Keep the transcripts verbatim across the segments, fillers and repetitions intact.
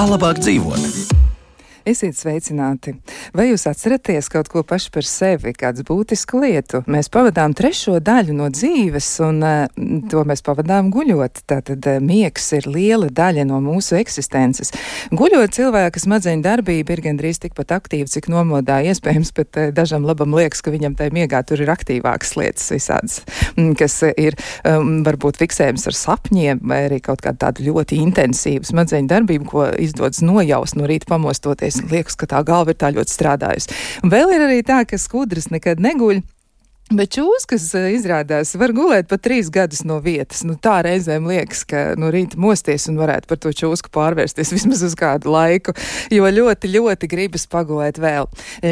Kā labāk dzīvot? Esiet sveicināti! Vai jūs atceraties kaut ko paši par sevi, kādu būtisku lietu? Mēs pavadām trešo daļu no dzīves, un uh, to mēs pavadām guļot. Tātad uh, miegs ir liela daļa no mūsu eksistences. Guļot, cilvēka smadzeņu darbība ir gandrīz tikpat aktīva, cik nomodā iespējams, bet uh, dažam labam liekas, ka viņam tai miegā tur ir aktīvākas lietas visādas, kas uh, ir um, varbūt fiksējums ar sapņiem, vai arī kaut kāda tāda ļoti intensīva smadzeņu darbība, ko izdodas nojaust no rīta pamostoties. Liekas, ka tā galva ir tā ļoti strādājusi. Un vēl ir arī tā, ka skudras nekad neguļ. Bet čūskas izrādās var gulēt pat trīs gadus no vietas. Nu, tā reizēm liekas, ka no rīta mosties un varētu par to čūsku pārvērsties vismaz uz kādu laiku, jo ļoti, ļoti gribas pagulēt vēl.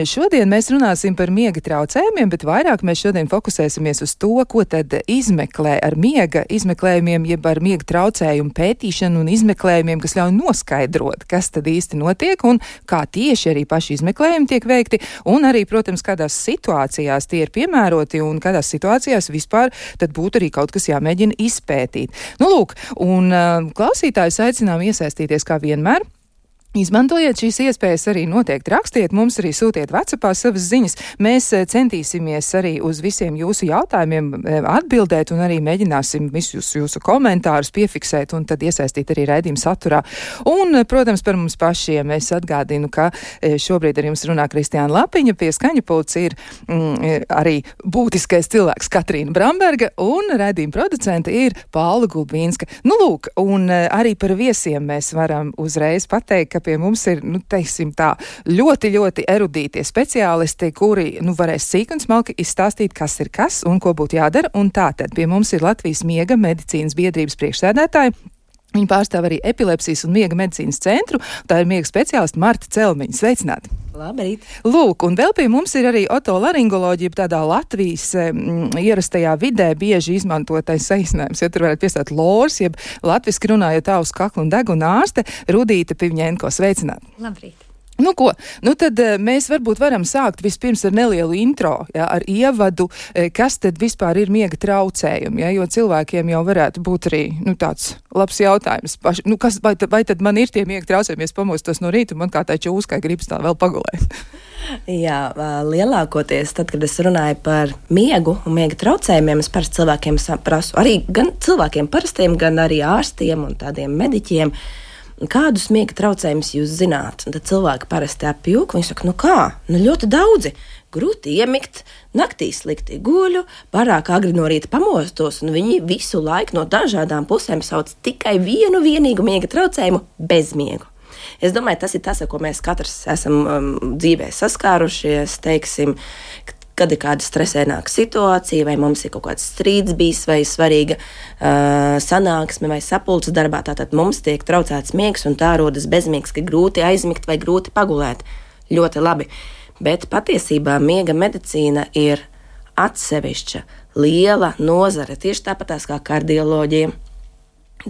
Šodien mēs runāsim par miega traucējumiem, bet vairāk mēs šodien fokusēsimies uz to, ko tad izmeklē ar miega izmeklējumiem, jeb ar miega traucējumu pētīšanu un izmeklējumiem, kas ļauj noskaidrot, kas tad īsti notiek un kā tieši arī paši izmeklējumi tiek veikti, un arī, protams, kādās situācijās tie ir piemēroti un kādās situācijās vispār tad būtu arī kaut kas jāmēģina izpētīt. Nu, lūk, un uh, klausītājus aicinām iesaistīties kā vienmēr. Izmantojiet šīs iespējas, arī noteikti rakstiet, mums arī sūtiet WhatsAppā savas ziņas. Mēs centīsimies arī uz visiem jūsu jautājumiem atbildēt un arī mēģināsim visus jūsu komentārus piefiksēt un tad iesaistīt arī raidījuma saturā. Un, protams, par mums pašiem es atgādinu, ka šobrīd ar jums runā Kristiāna Lapiņa, pie skaņa pults ir mm, arī būtiskais cilvēks Katrīna Bramberga un raidījuma producente ir Paula Gulbīnska. Nu, lūk, un arī par viesiem mēs varam uzreiz pateikt, ka pie mums ir, nu, teiksim tā, ļoti, ļoti erudītie speciālisti, kuri, nu, varēs sīk un smalki izstāstīt, kas ir kas un ko būtu jādara. Un tātad pie mums ir Latvijas miega medicīnas biedrības priekšsēdētāja. Viņa pārstāv arī epilepsijas un miega medicīnas centru. Tā ir miega speciālista Marta Celmiņa. Sveicināti! Labrīt! Lūk, un vēl pie mums ir arī otolaringoloģija, tādā Latvijas mm, ierastajā vidē bieži izmantotais saīsinājums, ja tur varētu piestāt lors, jeb latviski runājot auss kaklu un deguna ārste Rudīta Pivņēnko. Sveicināti! Labrīt! Nu ko, nu tad mēs varbūt varam sākt vispirms ar nelielu intro, ja, ar ievadu, kas tad vispār ir miega traucējumi, ja, jo cilvēkiem jau varētu būt arī, nu, tāds labs jautājums. Paši, nu, kas, vai, vai tad man ir tie miega traucējumi, es pamostos no rīta un man kā tā čūskai gribas tā vēl pagulēt? Jā, lielākoties tad, kad es runāju par miegu un miega traucējumiem, es parasti cilvēkiem prasu, arī gan cilvēkiem parastiem, gan arī ārstiem un tādiem mediķiem, kādus miega traucējumus jūs zināt? Un tad cilvēki parasti apjūk, viņi saka, nu kā, nu ļoti daudzi, grūti iemigt, naktī slikti guļu, pārāk agri no rīta pamostos, un viņi visu laiku no dažādām pusēm sauc tikai vienu vienīgu miega traucējumu - bezmiegu. Es domāju, tas ir tas, ar ko mēs katrs esam um, dzīvē saskārušies, teiksim, kad ir kāda stresēnāka situācija, vai mums ir kaut kāds strīds bijis, vai svarīga uh, sanāksme, vai sapulces darbā, tātad mums tiek traucēts miegs, un tā rodas bezmiegs, ka grūti aizmigt vai grūti pagulēt. Ļoti labi. Bet patiesībā miega medicīna ir atsevišķa, liela nozare, tieši tāpatās kā kardioloģija,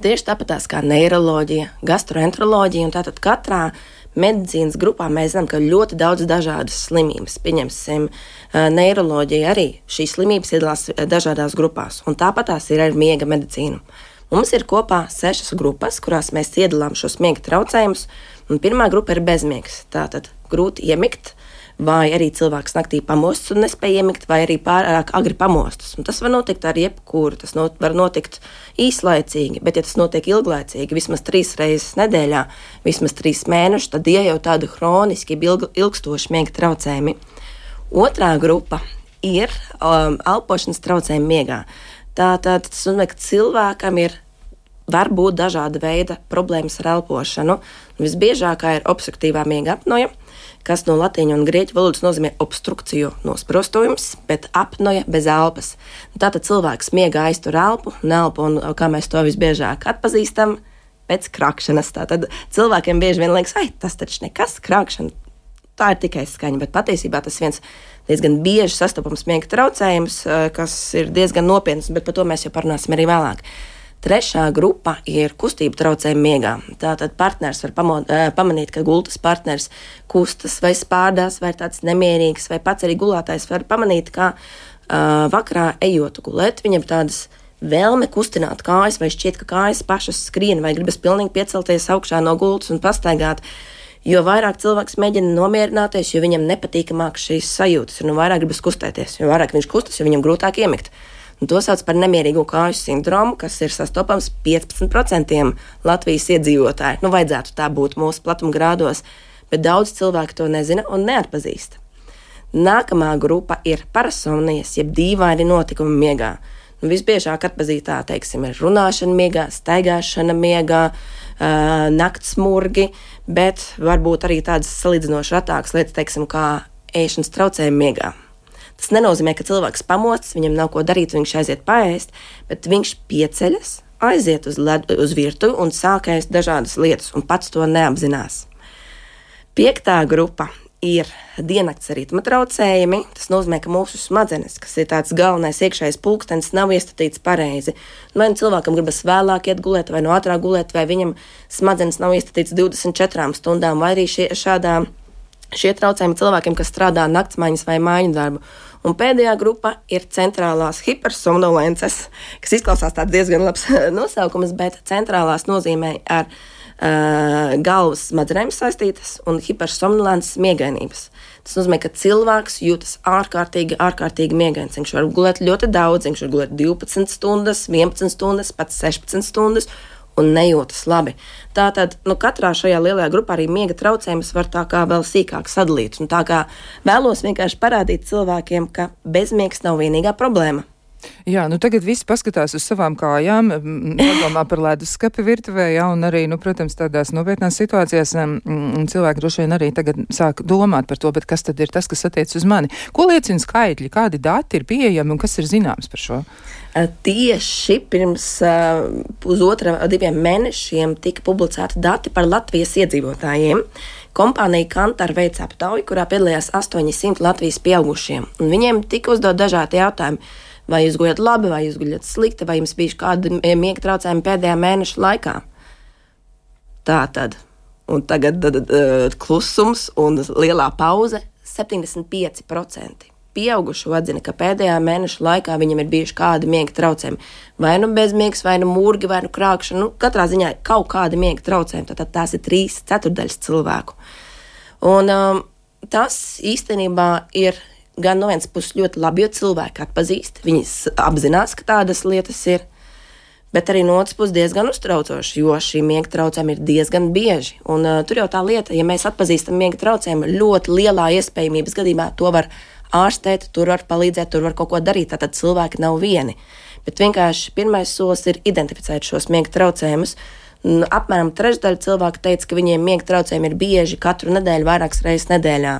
tieši tāpatās kā neiroloģija, gastroenteroloģija, un tātad katrā medicīnas grupā mēs zinām, ka ļoti daudz dažādas slimības. Pieņemsim, neiroloģija arī šīs slimības iedalās dažādās grupās, un tāpatās ir ar miega medicīnu. Mums ir kopā sešas grupas, kurās mēs iedalām šos miega traucējumus, un pirmā grupa ir bezmiegs. Tātad grūti iemigt, vai arī cilvēks naktī pamostas un nespēja iemigt, vai arī pārāk agri pamostas. Un tas var notikt ar jebkuru, tas not, var notikt īslaicīgi, bet ja tas notiek ilglaicīgi, vismaz trīs reizes nedēļā, vismaz trīs mēnešus, tad ie jau tādi hroniski ilg, ilgstoši miega traucējumi. Otrā grupa ir um, elpošanas traucējumi miegā. Tātad tas nozīmē, ka cilvēkam ir var būt dažāda veida problēmas ar elpošanu. Visbiežākā ir obstruktīvā miega apnoja, kas no latīņu un grieķu valodas nozīmē obstrukciju nosprostojums, bet apnoja bez elpas. Tātad cilvēks miegā aiztur elpu, nelpu, un kā mēs to visbiežāk atpazīstam, pēc krakšanas. Tātad cilvēkiem bieži vien liekas, ai, tas taču nekas, krakšana, tā ir tikai skaņa, bet patiesībā tas viens diezgan bieži sastopams miega traucējums, kas ir diezgan nopietns, bet par to mēs jau parunāsim arī vēlāk. Trešā grupa ir kustību traucējumi miegā. Tātad partners var pamo, pamanīt, ka gultas partners kustas vai spārdās, vai tāds nemierīgs, vai pats arī gulētājs var pamanīt, ka uh, vakarā ejot gulēt, viņam tādas vēlme kustināt kājas, vai šķiet, ka kājas pašas skrien, vai gribas pilnīgi piecelties augšā no gultas un pastaigāt. Jo vairāk cilvēks mēģina nomierināties, jo viņam nepatīkamāk šīs sajūtas, un vairāk gribas kustēties. Jo vairāk viņš kustas, jo viņam grūtāk iemigt. Un to sauc par nemierīgo kāju sindromu, kas ir sastopams piecpadsmit procentiem Latvijas iedzīvotāju. Nu, vajadzētu tā būt mūsu platuma grādos, bet daudz cilvēku to nezina un neatpazīst. Nākamā grupa ir parasomnijas, jeb dīvaini notikumi miegā. Nu, visbiežāk atpazītā, teiksim, ir runāšana miegā, staigāšana miegā, uh, naktsmurgi, bet varbūt arī tādas salīdzinoši retākas lietas, teiksim, kā ēšanas traucējumi miegā. Tas nenozīmē, ka cilvēks pamostas, viņam nav ko darīt, viņš aiziet paēst, bet viņš pieceļas, aiziet uz, led, uz virtuvi un sāk ēst dažādas lietas, un pats to neapzinās. Piektā grupa ir diennakts ritma traucējumi. Tas nozīmē, ka mūsu smadzenes, kas ir tāds galvenais iekšējais pulkstenis, nav iestatīts pareizi. Vai nu cilvēkam gribas vēlāk iet gulēt, vai no ātrāk gulēt, vai viņam smadzenes nav iestatīts divdesmit četrām stundām, vai arī šie, šādā, šie traucējumi cilvēkiem, kas strādā naktsmaiņas vai māju darbu. Un pēdējā grupa ir centrālās hipersomnolences, kas izklausās tāds diezgan labs nosaukums, bet centrālās nozīmē ar uh, galvas smadzenēm saistītas un hipersomnolences miegainības. Tas nozīmē, ka cilvēks jūtas ārkārtīgi, ārkārtīgi miegains. Viņš var gulēt ļoti daudz, viņš var gulēt divpadsmit stundas, vienpadsmit stundas, pat sešpadsmit stundas, un nejūtas labi. Tātad, nu, katrā šajā lielajā grupā arī miega traucējumus var tā kā vēl sīkāk sadalīt. Un tā kā vēlos vienkārši parādīt cilvēkiem, ka bezmiegs nav vienīgā problēma. Jā, nu tagad visi paskatās uz savām kājām, padomā par leduskapi virtuvē, jā, un arī, nu, protams, tādās nopietnās situācijās m, cilvēki droši vien arī tagad sāk domāt par to, bet kas tad ir tas, kas attiec uz mani? Ko liecina skaitļi, kādi dati ir pieejami un kas ir zināms par šo? Tieši pirms uh, pusotra diviem mēnešiem tika publicēti dati par Latvijas iedzīvotājiem. Kompānija Kantar veica aptauju, kurā piedalījās astoņi simti Latvijas pieaugušiem, un viņiem tika uzdot dažādi jautājumi. Vai jūs guļat labi, vai jūs guļat slikti, vai jums bija kādi miega traucējumi pēdējā mēneša laikā? Tā tad. Un tagad d, d, d, klusums un lielā pauze - septiņdesmit pieci procenti. Pieaugušo atzina, ka pēdējā mēneša laikā viņam ir bijuši kādi miega traucējumi. Vai nu bezmiegs, vai nu murgi, vai nu krākšana. Nu, katrā ziņā kaut kādi miega traucējumi. Tātad tās ir trīs ceturdaļas cilvēku. Un um, tas īstenībā ir gan no vienas puses ļoti labi, jo cilvēki atpazīst, viņi apzinās, ka tādas lietas ir, bet arī no otras puses diezgan uztraucoši, jo šī miega traucējumi ir diezgan bieži. Un uh, tur jau tā lieta, ja mēs atpazīstam miega traucējumu, ļoti lielā iespējamības gadījumā to var ārstēt, tur var palīdzēt, tur var kaut ko darīt, tātad cilvēki nav vieni. Bet vienkārši pirmais solis ir identificēt šos miega traucējumus. Apmēram trešdaļa cilvēku teica, ka viņiem miega traucējumi ir bieži katru nedēļu, vairākas reizes nedēļā.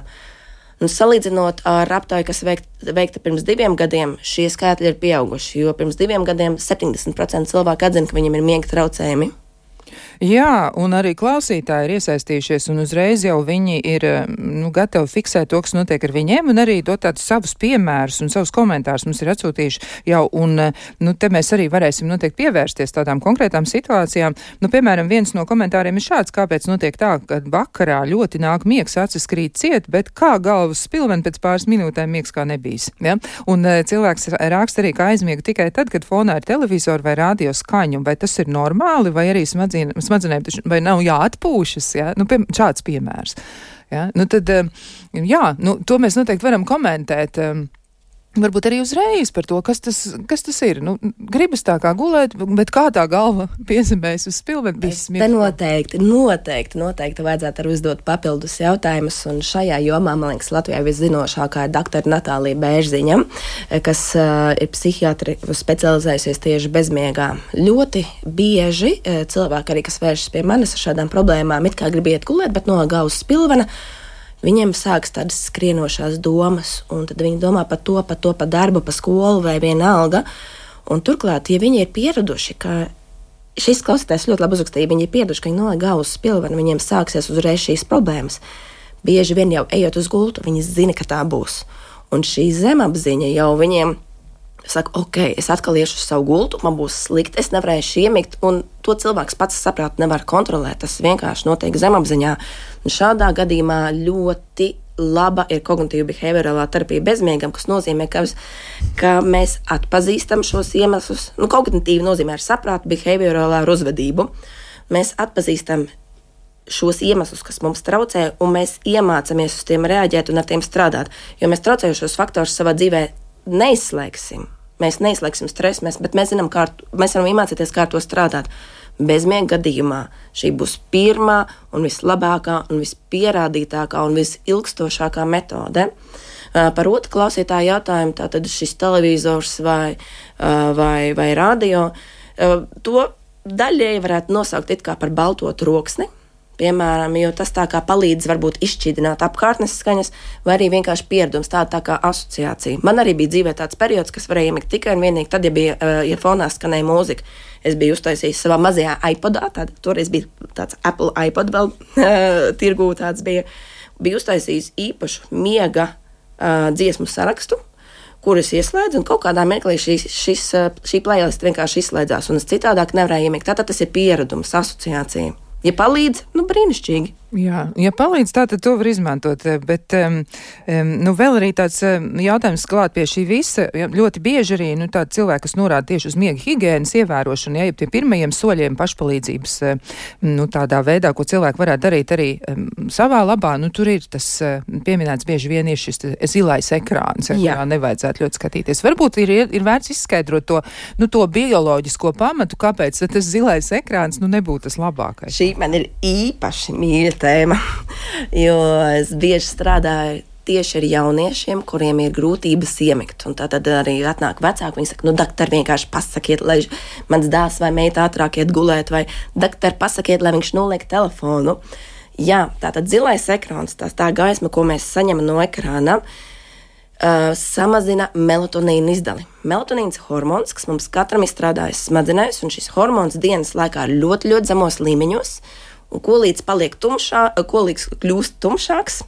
Un salīdzinot ar aptauju, kas veikta, veikta pirms diviem gadiem, šie skaitļi ir pieauguši, jo pirms diviem gadiem septiņdesmit procenti cilvēku atzina, ka viņiem ir miega traucējumi. Jā, un arī klausītāji ir iesaistījušies, un uzreiz jau viņi ir nu, gatavi fiksēt to, kas notiek ar viņiem, un arī dot tādus savus piemērus un savus komentārus mums ir atsūtījuši jau, un nu, te mēs arī varēsim noteikti pievērsties tādām konkrētām situācijām. Nu, piemēram, viens no komentāriem ir šāds, kāpēc notiek tā, ka vakarā ļoti nāk miegs, acis krīt ciet, bet kā galvas spilveni pēc pāris minūtēm miegs kā nebijis. Ja? Un cilvēks raksta arī, ka aizmiega tikai tad, kad fonā ir televizori vai radio skaņu, vai tas ir normāli, vai arī smadzīna smadzenēm, vai nav jāatpūšas, ja? Nu, pie, šāds piemērs. Ja? Nu, tad, jā, nu, to mēs noteikti varam komentēt. Varbūt arī uzreiz par to, kas tas, kas tas ir. Nu, gribas tā kā gulēt, bet kā tā galva piezemēs uz spilveni. Te noteikti, noteikti, noteikti vajadzētu arī uzdot papildus jautājumus, un šajā jomā, man liekas, Latvijā viszinošākā ir doktora Natālija Bērziņa, kas uh, ir psihiatri specializējusies tieši bezmiegā. Ļoti bieži uh, cilvēki arī, kas vēršas pie manis ar šādām problēmām, it kā grib iet gulēt, bet no galvas spilvena, viņiem sāks tādas skrienošās domas, un tad viņi domā par to, par to, par darbu, par skolu vai vienalga. Un turklāt, ja viņi ir pieraduši, ka šis klausītājs ļoti labi uzrakstīja, viņi ir pieraduši, ka viņi noliek galvu uz spilvenu, viņiem sāksies uzreiz šīs problēmas. Bieži vien jau ejot uz gultu, viņi zina, ka tā būs. Un šī zemapziņa jau viņiem saka, ok, es atkal iešu uz savu gultu, man būs slikti, es nevarēšu iemigt, un to cilvēks pats saprāt nevar kontrolēt, tas vienkārši notiek zemapziņā. Un šādā gadījumā ļoti laba ir kognitīva behaviorālā terapija bezmiegam, kas nozīmē, ka, ka mēs atpazīstam šos iemeslus. Nu, kognitīvi nozīmē ar saprātu, behaviorālā ar uzvedību. Mēs atpazīstam šos iemeslus, kas mums traucē, un mēs iemācāmies uz tiem reaģēt un ar tiem strādāt. Jo mēs traucējušos faktorus savā dzīvē neizslēgsim. Mēs neizslēgsim stresu, mēs, bet mēs zinām, kā ar, mēs varam iemācīties, kā ar to strādāt. Bezmiega gadījumā šī būs pirmā un vislabākā un vispierādītākā un visilgstošākā metode. Par otru klausītāju jautājumu, tātad šis televizors vai, vai, vai radio, to daļēji varētu nosaukt it kā par balto troksni. Piemēram, jo tas tā kā palīdz varbūt izšķīdināt apkārtnes skaņas, vai arī vienkārši pieredums, tāda tā kā asociācija. Man arī bija dzīvē tāds periods, kas varēja iemigt tikai un vienīgi tad, ja bija, ja fonā skanēja mūzika. Es biju uztaisījis savā mazajā iPodā, tāda, toreiz bija tāds Apple iPod vēl tirgū tāds bija, bija uztaisījis īpašu miega uh, dziesmu sarakstu, kurus ieslēdz, un kaut kādā mirklī šis, šis, šī playlist vienkārši izslēdzās, un es citādāk nevarēju iemigt. Tātad tas ir pieredums, asociācija. Ja palīdz, nu brīnišķīgi. Jā, ja palīdz, tā tad to var izmantot, bet um, nu vēl arī tāds jautājums klāt pie šī visa. Ļoti bieži arī nu, tādi cilvēki, kas norāda tieši uz miega higienas ievērošanu, ja jau tiem pirmajiem soļiem pašpalīdzības nu, tādā veidā, ko cilvēki varētu darīt arī um, savā labā, nu tur ir tas pieminēts bieži vien ir šis zilais ekrāns, ja, kurā nevajadzētu ļoti skatīties. Varbūt ir, ir vērts izskaidrot to, nu, to bioloģisko pamatu, kāpēc tas zilais ekrāns nu, nebūtu tas labākais. Šī man ir īpaši mīļa tēma, jo es bieži strādāju tieši ar jauniešiem, kuriem ir grūtības iemigt. Un tā tad arī atnāk vecāki, viņi saka, nu, daktar, vienkārši pasakiet, lai mans dēls vai meita ātrāk iet gulēt, vai daktar, pasakiet, lai viņš noliek telefonu. Jā, tātad zilais ekrāns, tās tā gaisma, ko mēs saņemam no ekrāna, uh, samazina melatonīnu izdali. Melatonīns hormons, kas mums katram izstrādājas smadzenēs, un šis hormons dienas laikā ir ļoti, ļoti zemos līmeņos, un ko līdz paliek tumšā, ko līdz kļūst tumšāks,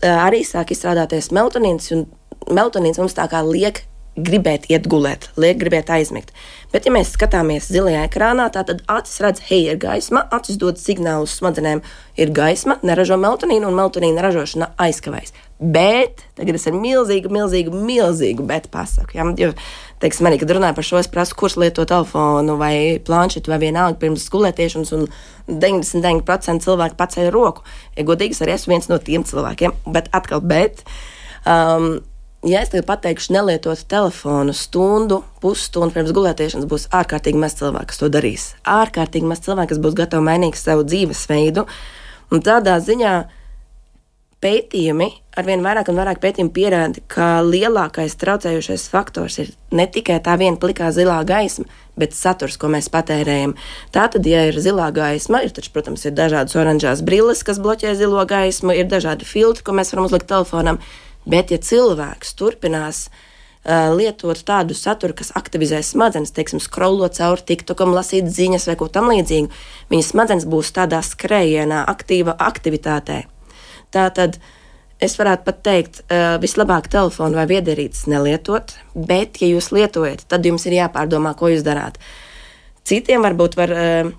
arī sāk izstrādāties melatonīns, un melatonīns mums tā kā liek gribēt iet gulēt, liek gribēt aizmigt. Bet, ja mēs skatāmies zilajā ekrānā, tā tad acis redz, hei, ir gaisma, acis dod signālus smadzenēm, ir gaisma, neražo melatonīnu, un melatonīna ražošana aizkavējas. Bet, tagad es ar milzīgu, milzīgu, milzīgu bet pasaku, ja? Jo, teiksim, arī, kad runāju par šo, es prasu, kurš lieto telefonu vai planšetu vai vienalga pirms gulētiešanas, un deviņdesmit deviņi procenti cilvēku paceļ roku. Ja godīgs, arī esmu viens no tiem cilvēkiem, bet atkal, bet, um, ja es tagad pateikšu nelietot telefonu stundu, pusstundu pirms gulētiešanas, būs ārkārtīgi maz cilvēku, kas to darīs. Ārkārtīgi maz cilvēku, kas būs gatavi mainīt savu dzīvesveidu, un tādā ziņā pētījumi, arvien vairāk un vairāk pētījumi pierāda, ka lielākais traucējošais faktors ir ne tikai tā viena plikā zilā gaisma, bet saturs, ko mēs patērējam. Tātad, ja ir zilā gaisma, ir taču, protams, ir dažādas oranžās brilles, kas bloķē zilo gaismu, ir dažādi filtri, ko mēs varam uzlikt telefonam, bet ja cilvēks turpinās uh, lietot tādu saturu, kas aktivizē smadzenes, teiksim, scrollot cauri TikTokam, lasīt ziņas vai ko tam līdzīgu, viņa smadzenes būs tādā skrējienā, aktīva aktivitātē. Tātad es varētu pat teikt, uh, vislabāk telefonu vai viedierīces nelietot, bet, ja jūs lietojat, tad jums ir jāpārdomā, ko jūs darāt. Citiem varbūt var uh,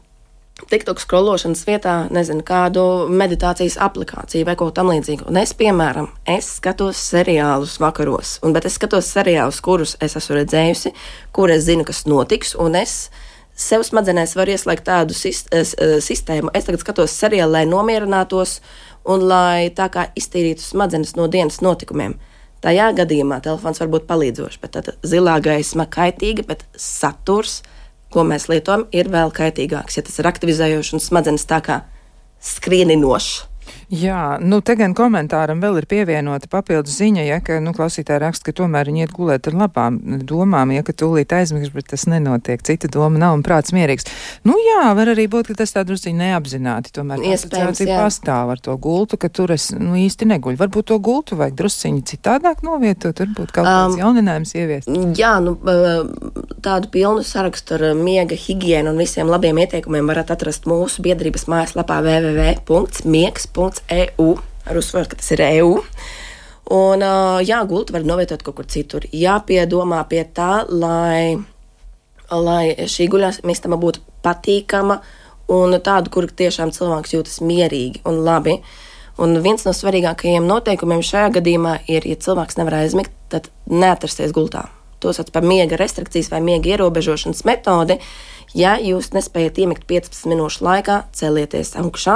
TikTok scrollošanas vietā, nezinu, kādu meditācijas aplikāciju vai ko tam līdzīgu. Un es, piemēram, es skatos seriālus vakaros, un, bet es skatos seriālus, kurus es esmu redzējusi, kur es zinu, kas notiks, un es sev smadzenēs varu ieslēgt tādu sist, uh, sistēmu. Es tagad skatos seriālu, lai nomierinātos, un lai tā kā iztīrītu smadzenes no dienas notikumiem. Tajā gadījumā telefons var būt palīdzošs, bet tad zilā gaisma kaitīga, bet saturs, ko mēs lietojam, ir vēl kaitīgāks, ja tas ir aktivizējošs un smadzenes tā kā skrieninošs. Jā, nu te gan komentāram vēl ir pievienota papildus ziņa, ja, ka, nu, klausītāji raksta, ka tomēr viņi iet gulēt ar labām domām, ja, ka tūlīt aizmigs, bet tas nenotiek, cita doma nav un prāts mierīgs. Nu jā, var arī būt, ka tas tā drusciņi neapzināti, tomēr asociācija pastāv ar to gultu, ka tur es, nu, īsti neguļu. Varbūt to gultu vajag drusciņi citādāk novietot, varbūt kaut kāds um, jauninājums ieviest. Jā, nu, tādu pilnu sarakstu ar miega higienu un visiem labiem ieteikumiem varat atrast mūsu biedrības mājaslapā w w w punkts miegs punkts e u, ar uzsvaru, ka tas ir e u. Un, jā, gultu var novietot kaut kur citur. Jāpiedomā pie tā, lai, lai šī guļamistaba būtu patīkama un tādu, kur tiešām cilvēks jūtas mierīgi un labi. Un viens no svarīgākajiem noteikumiem šajā gadījumā ir, ja cilvēks nevar aizmigt, tad neatrasties gultā. To sauc par miega restrikcijas vai miega ierobežošanas metodi. Ja jūs nespējat iemigt piecpadsmit minūšu laikā, celieties augšā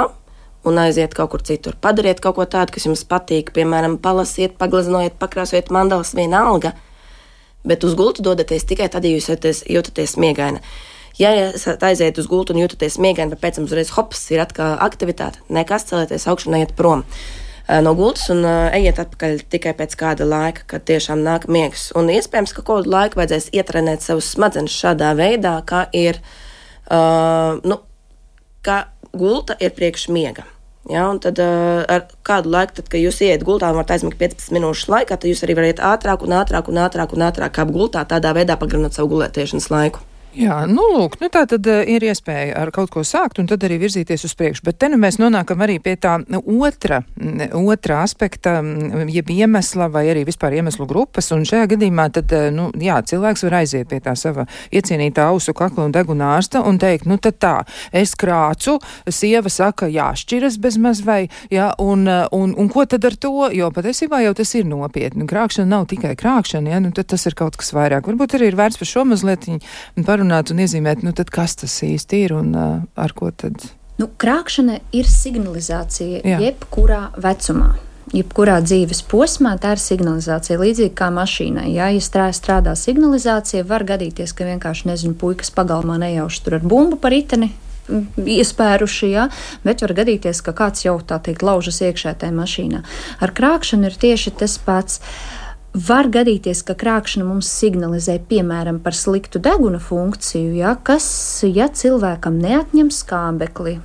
un aiziet kaut kur citur. Padariet kaut ko tādu, kas jums patīk, piemēram, palasiet, pagleznojiet, pakrāsojiet mandalas, vienalga, bet uz gultu dodaties tikai tad, ja jūs jūtaties, jūtaties miegaina. Ja esat aiziet uz gultu un jūtaties miegaini, bet pēc tam uzreiz hops, ir atkal aktivitāte, nekas, celieties augšu un ejiet prom no gultas un ejiet atpakaļ tikai pēc kāda laika, kad tiešām nāk miegs. Un iespējams, ka kādu laiku vajadzēs ietrenēt savus smadzenes šādā veidā, kā ir, uh, nu, kā gulta ir priekš miega. Ja, un tad uh, ar kādu laiku, tad, kad jūs ieiet gultā un varat aizmigt piecpadsmit minūšu laikā, tad jūs arī varat ātrāk un ātrāk un ātrāk un ātrāk kāp gultā, tādā veidā pagarinot savu gulētiešanas laiku. Jā, nu lūk, nu tā tad uh, ir iespēja ar kaut ko sākt un tad arī virzīties uz priekšu, bet te nu mēs nonākam arī pie tā otra, otra aspekta, jeb iemesla vai arī vispār iemeslu grupas, un šajā gadījumā tad, uh, nu jā, cilvēks var aiziet pie tā sava iecienītā ausu kakla un deguna ārsta un teikt, nu tad tā, es krācu, sieva saka, jāšķiras bezmaz vai, jā, un, un, un ko tad ar to, jo patiesībā jau tas ir nopietni, krākšana nav tikai krākšana, jā, nu tad tas ir kaut kas vairāk, varbūt arī ir vērts par šo mazliet par runāt un iezīmēt, nu tad kas tas īsti ir un uh, ar ko tad? Nu, krākšana ir signalizācija Jā. jebkurā vecumā. Jebkurā dzīves posmā tā ir signalizācija, līdzīgi kā mašīnai. Ja, ja strādā, strādā signalizācija, var gadīties, ka vienkārši, nezinu, puikas pagalmā nejauši tur ar bumbu pa riteni iespēruši, ja, bet var gadīties, ka kāds jau, tā teikt, laužas iekšā tajā mašīnā. Ar krākšanu ir tieši tas pats. Var gadīties, ka krākšana mums signalizē, piemēram, par sliktu deguna funkciju, ja, kas, ja cilvēkam neatņem skābekli,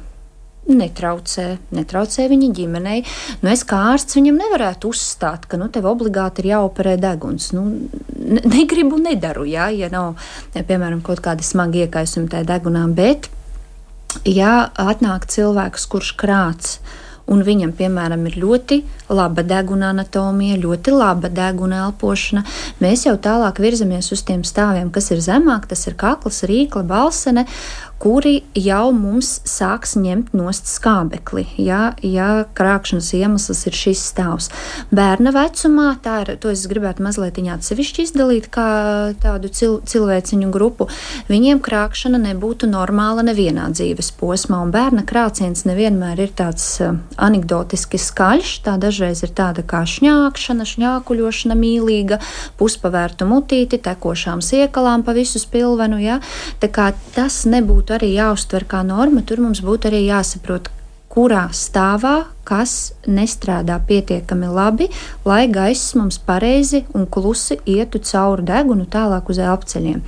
netraucē, netraucē viņa ģimenei. Nu, es kā ārsts viņam nevarētu uzstāt, ka nu, tev obligāti ir jāoperē deguns. Nu, ne, negribu, nedaru, ja, ja nav, ja, piemēram, kaut kādi smagi iekaisumi tajā degunā, bet, ja atnāk cilvēks, kurš krāc, un viņam, piemēram, ir ļoti laba deguna anatomija, ļoti laba deguna elpošana, mēs jau tālāk virzamies uz tiem stāviem, kas ir zemāk, tas ir kakls, rīkla, balsene, kuri jau mums sāks ņemt nost skābekli, ja, ja krākšanas iemesls ir šis stāvs. Bērna vecumā, tā ir, to es gribētu mazliet atsevišķi izdalīt kā tādu cil, cilvēciņu grupu, viņiem krākšana nebūtu normāla nevienā dzīves posmā, un bērna krāciens nevienmēr ir tāds uh, anekdotiski skaļš, tā dažreiz ir tāda kā šņākšana, šņākuļošana mīlīga, puspavērtu mutīti, tekošām siekalām pa visu spilvenu, ja, tā kā tas nebūtu arī jāuztver kā norma, tur mums būtu arī jāsaprot, kurā stāvā, kas nestrādā pietiekami labi, lai gaiss mums pareizi un klusi ietu cauri degunu tālāk uz elpceļiem.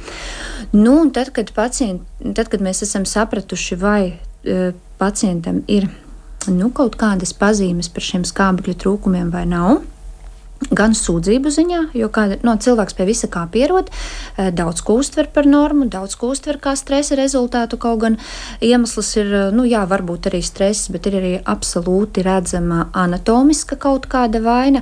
Nu, un tad, kad, pacient, tad, kad mēs esam sapratuši, vai e, pacientam ir nu, kaut kādas pazīmes par šiem skābekļu trūkumiem vai nav, gan sūdzību ziņā, jo kā, no, cilvēks pie visa kā pierod, daudz ko uztver par normu, daudz ko uztver kā stresa rezultātu, kaut gan iemesls ir, nu jā, varbūt arī stress, bet ir arī absolūti redzama anatomiska kaut kāda vaina.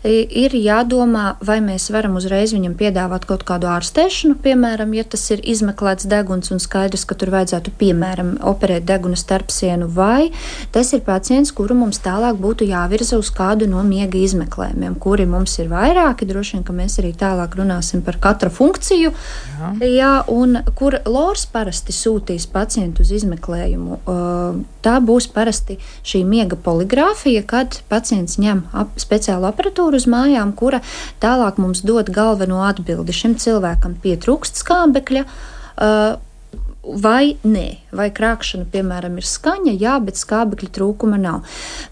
Ir jādomā, vai mēs varam uzreiz viņam piedāvāt kaut kādu ārstēšanu, piemēram, ja tas ir izmeklēts deguns un skaidrs, ka tur vajadzētu, piemēram, operēt deguna starpsienu, vai tas ir pacients, kuru mums tālāk būtu jāvirza uz kādu no miega izmeklējumiem, kuri mums ir vairāki, droši vien, ka mēs arī tālāk runāsim par katra funkciju, jā. Jā, un kur Lors parasti sūtīs pacientu uz izmeklējumu. Tā būs parasti šī miega poligrāfija, kad pacients ņem ap, speciālu aparatūru uz mājām, kura tālāk mums dod galveno atbildi. Šim cilvēkam pietrūkst skābekļa, vai nē, vai krākšana, piemēram, ir skaņa, jā, bet skābekļa trūkuma nav.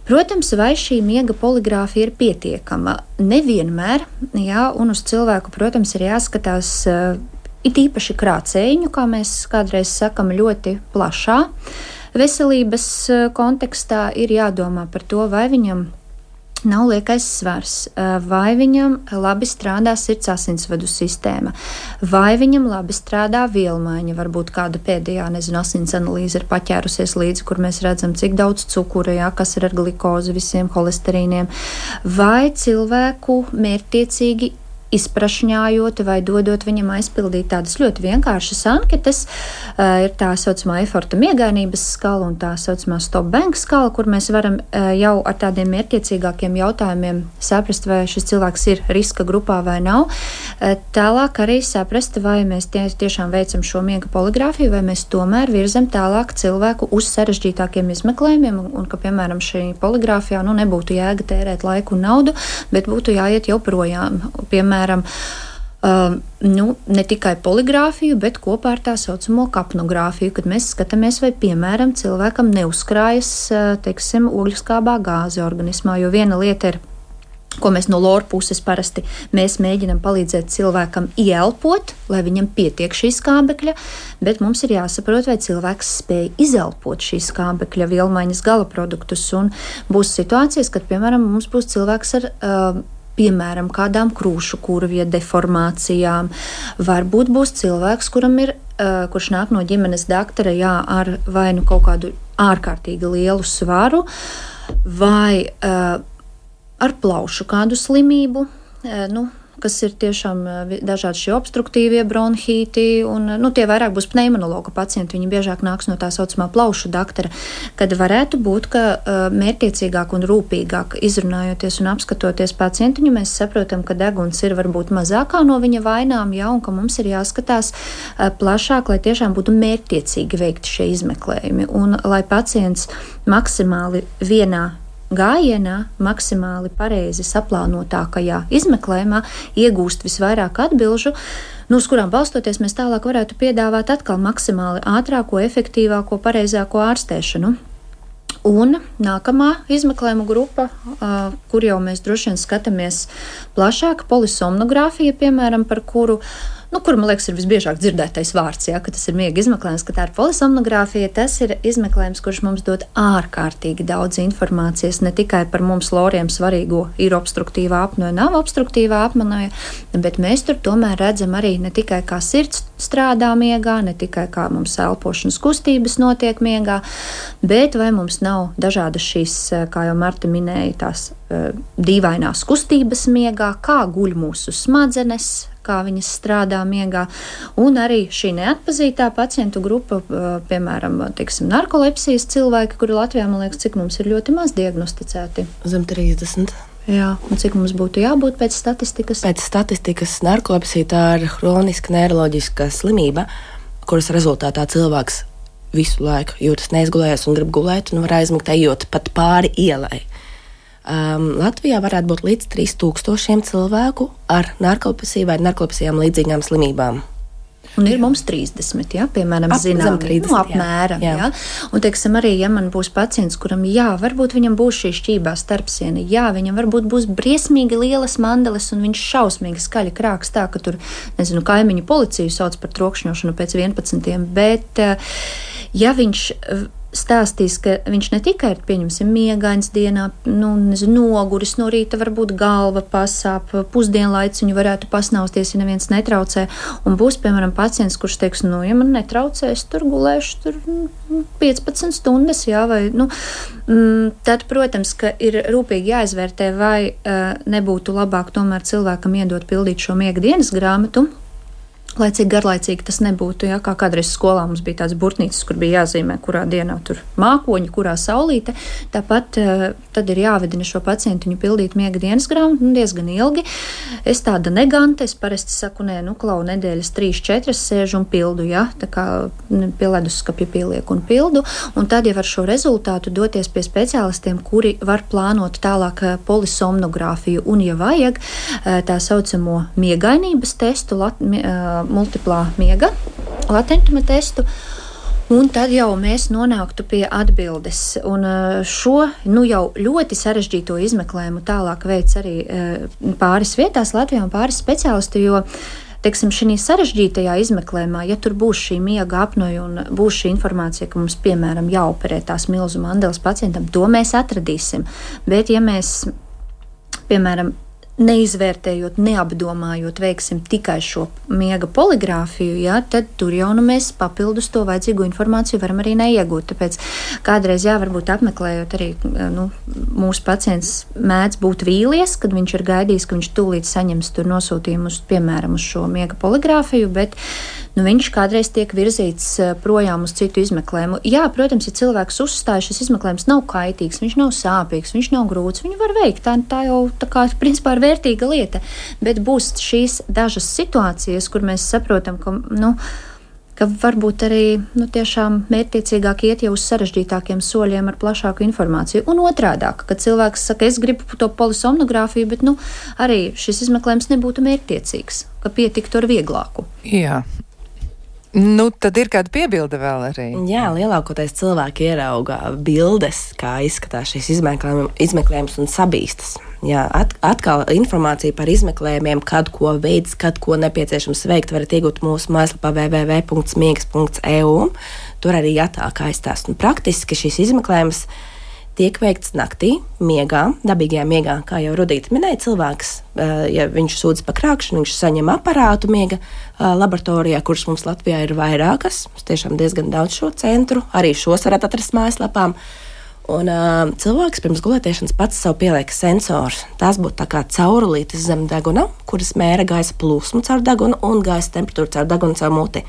Protams, vai šī miega poligrāfija ir pietiekama? Nevienmēr, jā, un uz cilvēku, protams, ir jāskatās uh, it īpaši krācējiņu, kā mēs kādreiz sakam, ļoti plašā veselības uh, kontekstā ir jādomā par to, vai viņam nav liekais svars, vai viņam labi strādā sirds asinsvadu sistēma, vai viņam labi strādā vielmaiņa, varbūt kāda pēdējā, nezinu, asins analīze ir paķērusies līdzi, kur mēs redzam, cik daudz cukura, jā, kas ir ar glikozi, visiem holesterīniem, vai cilvēku mērķtiecīgi izprašņājot vai dodot viņam aizpildīt tādas ļoti vienkāršas anketas. Uh, ir tā saucamā Eforta miegainības skala un tā saucamā Stop Bank skala, kur mēs varam uh, jau ar tādiem mērķiecīgākiem jautājumiem saprast, vai šis cilvēks ir riska grupā vai nav. Uh, tālāk arī saprast, vai mēs tie, tiešām veicam šo miega poligrāfiju, vai mēs tomēr virzam tālāk cilvēku uz sarežģītākiem izmeklējumiem, un, un ka, piemēram, šī poligrāfijā nu, nebūtu jēga tērēt laiku un naudu, bet būtu jāiet jau projām. Piemēram, Piemēram, uh, nu, ne tikai poligrāfiju, bet kopā ar tā saucamo kapnogrāfiju, kad mēs skatāmies, vai, piemēram, cilvēkam neuzkrājas, uh, teiksim, ogļskābā gāze organismā, jo viena lieta ir, ko mēs no lora puses parasti mēs mēģinam palīdzēt cilvēkam ieelpot, lai viņam pietiek šī skābekļa, bet mums ir jāsaprot, vai cilvēks spēj izelpot šīs skābekļa vielmaiņas gala produktus, un būs situācijas, kad, piemēram, mums būs cilvēks ar uh, piemēram, kādām krūšu kurvju deformācijām. Varbūt būs cilvēks, kuram ir, uh, kurš nāk no ģimenes doktora, jā, ar vai nu kaut kādu ārkārtīgi lielu svaru, vai uh, ar plaušu kādu slimību, uh, nu, kas ir tiešām dažādi šie obstruktīvie bronhīti, un nu, tie vairāk būs pneimonologa pacienti, viņi biežāk nāks no tā saucamā plaušu doktora, kad varētu būt, ka uh, mērķiecīgāk un rūpīgāk izrunājoties un apskatoties pacientiņu, mēs saprotam, ka deguns ir varbūt mazākā no viņa vainām, jā, un ka mums ir jāskatās uh, plašāk, lai tiešām būtu mērķiecīgi veikti šie izmeklējumi, un lai pacients maksimāli vienā gājienā, maksimāli pareizi saplānotākajā izmeklējumā iegūst visvairāk atbilžu, nu, uz kurām balstoties mēs tālāk varētu piedāvāt atkal maksimāli ātrāko, efektīvāko, pareizāko ārstēšanu. Un nākamā izmeklējuma grupa, uh, kur jau mēs droši vien skatāmies plašāk, polisomnogrāfija, piemēram, par kuru Nu, kur, man liekas, ir visbiežāk dzirdētais vārds, ja, ka tas ir miega izmeklējums, ka tā ir polisomnogrāfija. Tas ir izmeklējums, kurš mums dod ārkārtīgi daudz informācijas, ne tikai par mums loriem svarīgo, ir obstruktīvā apnoja, nav obstruktīvā apnoja, bet mēs tur tomēr redzam arī ne tikai kā sirds strādā miegā, ne tikai kā mums elpošanas kustības notiek miegā, bet vai mums nav dažādas šīs, kā jau Marta minēja, tās uh, dīvainās kustības miegā, kā guļ mūsu smadzenes, kā viņas strādā miegā, un arī šī neatpazītā pacientu grupa, piemēram, teiksim, narkolepsijas cilvēki, kuri Latvijā, man liekas, cik mums ir ļoti maz diagnosticēti. Zem trīsdesmit. Jā, un cik mums būtu jābūt pēc statistikas? Pēc statistikas narkolepsija tā ir hroniska neiroloģiska slimība, kuras rezultātā cilvēks visu laiku jūtas neizgulējies un grib gulēt un var aizmigt ejot pat pāri ielai. Um, Latvijā varētu būt līdz trīs tūkstošiem cilvēku ar narkolepsiju vai narkolepsijām līdzīgām slimībām. Un ir mums trīsdesmit, ja, piemēram, Ap, zinām, trīsdesmit, nu, apmēram. Jā. Jā. Un, teiksim, arī, ja man būs pacients, kuram, jā, varbūt viņam būs šī šķībā starpsiena, jā, viņam varbūt būs briesmīgi lielas mandeles un viņš šausmīgi skaļi krāks tā, ka tur, nezinu, kaimiņu policiju sauc par trokšņošanu pēc vienpadsmitiem, bet, ja viņš stāstīs, ka viņš ne tikai ir, pieņemsim, miegains dienā, nu, nezinu, noguris no rīta, varbūt galva pasāp, pusdienlaiks viņu varētu pasnausties, ja neviens netraucē, un būs, piemēram, pacients, kurš teiks, nu, ja man netraucē, es tur gulēšu tur piecpadsmit stundas, jā, vai, nu, tad, protams, ka ir rūpīgi jāizvērtē, vai uh, nebūtu labāk tomēr cilvēkam iedot pildīt šo miega dienas grāmatu, lai cik garlaicīgi tas nebūtu, ja, kā kādreiz skolā mums bija tāds burtnīcas, kur bija jāzīmē, kurā dienā tur mākoņi, kurā saulīte. Tāpat tad ir jāvedina šo pacientiņu pildīt miega dienas grāmatu, nu, diezgan ilgi. Es tāda neganta, es parasti saku, nē, nu, klau, nedēļas trīs, četras sēžu un pildu, ja, tā kā pie leduskapja pielieku un pildu, un tad jau ar šo rezultātu doties pie speciālistiem, kuri var plānot tālāk polisomnogrāfiju, un, ja vajag, tā saucamo miegainības testu, lat, multiplā miega latentuma testu, un tad jau mēs nonāktu pie atbildes. Un šo nu, jau ļoti sarežģīto izmeklējumu tālāk veids arī pāris vietās Latvijā un pāris speciālisti, jo, teiksim, šī sarežģītajā izmeklējumā, ja tur būs šī miega apnoja un būs šī informācija, ka mums, piemēram, jāoperē tās milzu mandeles pacientam, to mēs atradīsim. Bet, ja mēs, piemēram, neizvērtējot, neapdomājot, veiksim tikai šo miega poligrāfiju, jā, tad tur jau nu mēs papildus to vajadzīgo informāciju varam arī neiegūt. Tāpēc kādreiz, jā, varbūt apmeklējot arī, nu, mūsu pacients mēdz būt vīlies, kad viņš ir gaidījis, ka viņš tūlīt saņems tur nosūtījumu uz, piemēram, uz šo miega poligrāfiju, bet nu, viņš kādreiz tiek virzīts projām uz citu izmeklējumu. Jā, protams, ja cilvēks uzstāja, šis izmeklējums nav kaitīgs, viņš nav sāpīgs, viņš nav grūts, viņu var veikt. Tā, tā jau, tā kā, principā, ir vērtīga lieta, bet būs šīs dažas situācijas, kur mēs saprotam, ka, nu, ka varbūt arī, nu, tiešām mērķtiecīgāk iet jau uz sarežģītākiem soļiem ar plašāku informāciju. Un otrādāk, kad cilvēks saka, es gribu to polisomnogrāfiju, bet, nu, arī šis izmeklējums nebūtu mērķtiecīgs, ka pietiktu ar vieglāku. Jā. Nu, tad ir kāda piebilde vēl arī. Jā, lielākoties cilvēki ierauga bildes, kā izskatās šīs izmeklējums un sabīstas. Jā, at, atkal informācija par izmeklējumiem, kad ko veids, kad ko nepieciešams veikt, varat iegūt mūsu mājaslapā w w w punkts smiegs punkts e u. Tur arī jātāk aizstāst. Un praktiski šīs izmeklējums tiek veikts naktī, miegā, dabīgajā miegā, kā jau Rudīta minēja, cilvēks, ja viņš sūdz par krākšanu, viņš saņem aparātu miega laboratorijā, kuras mums Latvijā ir vairākas, tiešām diezgan daudz šo centru, arī šos varat atrast mājaslapām. Un uh, cilvēks pirms gulētiešanas pats sev pieliek sensors. Tās būtu tā kā caurulītes zem deguna, kuras mēra gaisa plūsmu caur degunu un gaisa temperatūru caur degunu caur muti.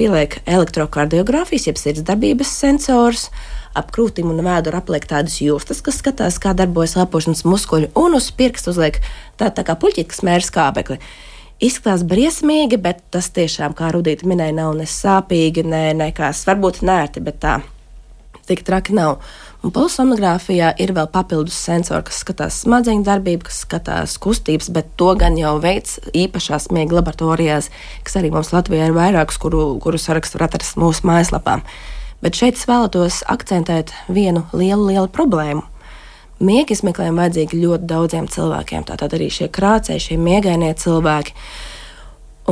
Pieliek elektrokardiogrāfijas, jeb sirdsdarbības sensors, ap krūtīm un vēduru apliek tādas jūstas, kas skatās, kā darbojas elpošanas muskuļi, un uz pirkstu uzliek tā, tā kā puļķīt, kas mēra skābekli. Izskatās briesmīgi, bet tas tiešām, kā Rudīta minēja, nav ne sāpīgi, ne nekās, varbūt nērti, bet tā tik traki nav. Un polisomnogrāfijā ir vēl papildus sensori, kas skatās smadzeņu darbību, kas skatās kustības, bet to gan jau veids īpašās miega laboratorijās, kas arī mums Latvijā ir vairākas, kuru, kuru sarakstu var atrast mūsu mājaslapām. Bet šeit es vēlētos akcentēt vienu lielu, lielu problēmu. Miega izmeklējumi vajadzīgi ļoti daudziem cilvēkiem, tātad arī šie krācēji, šie miegainie cilvēki.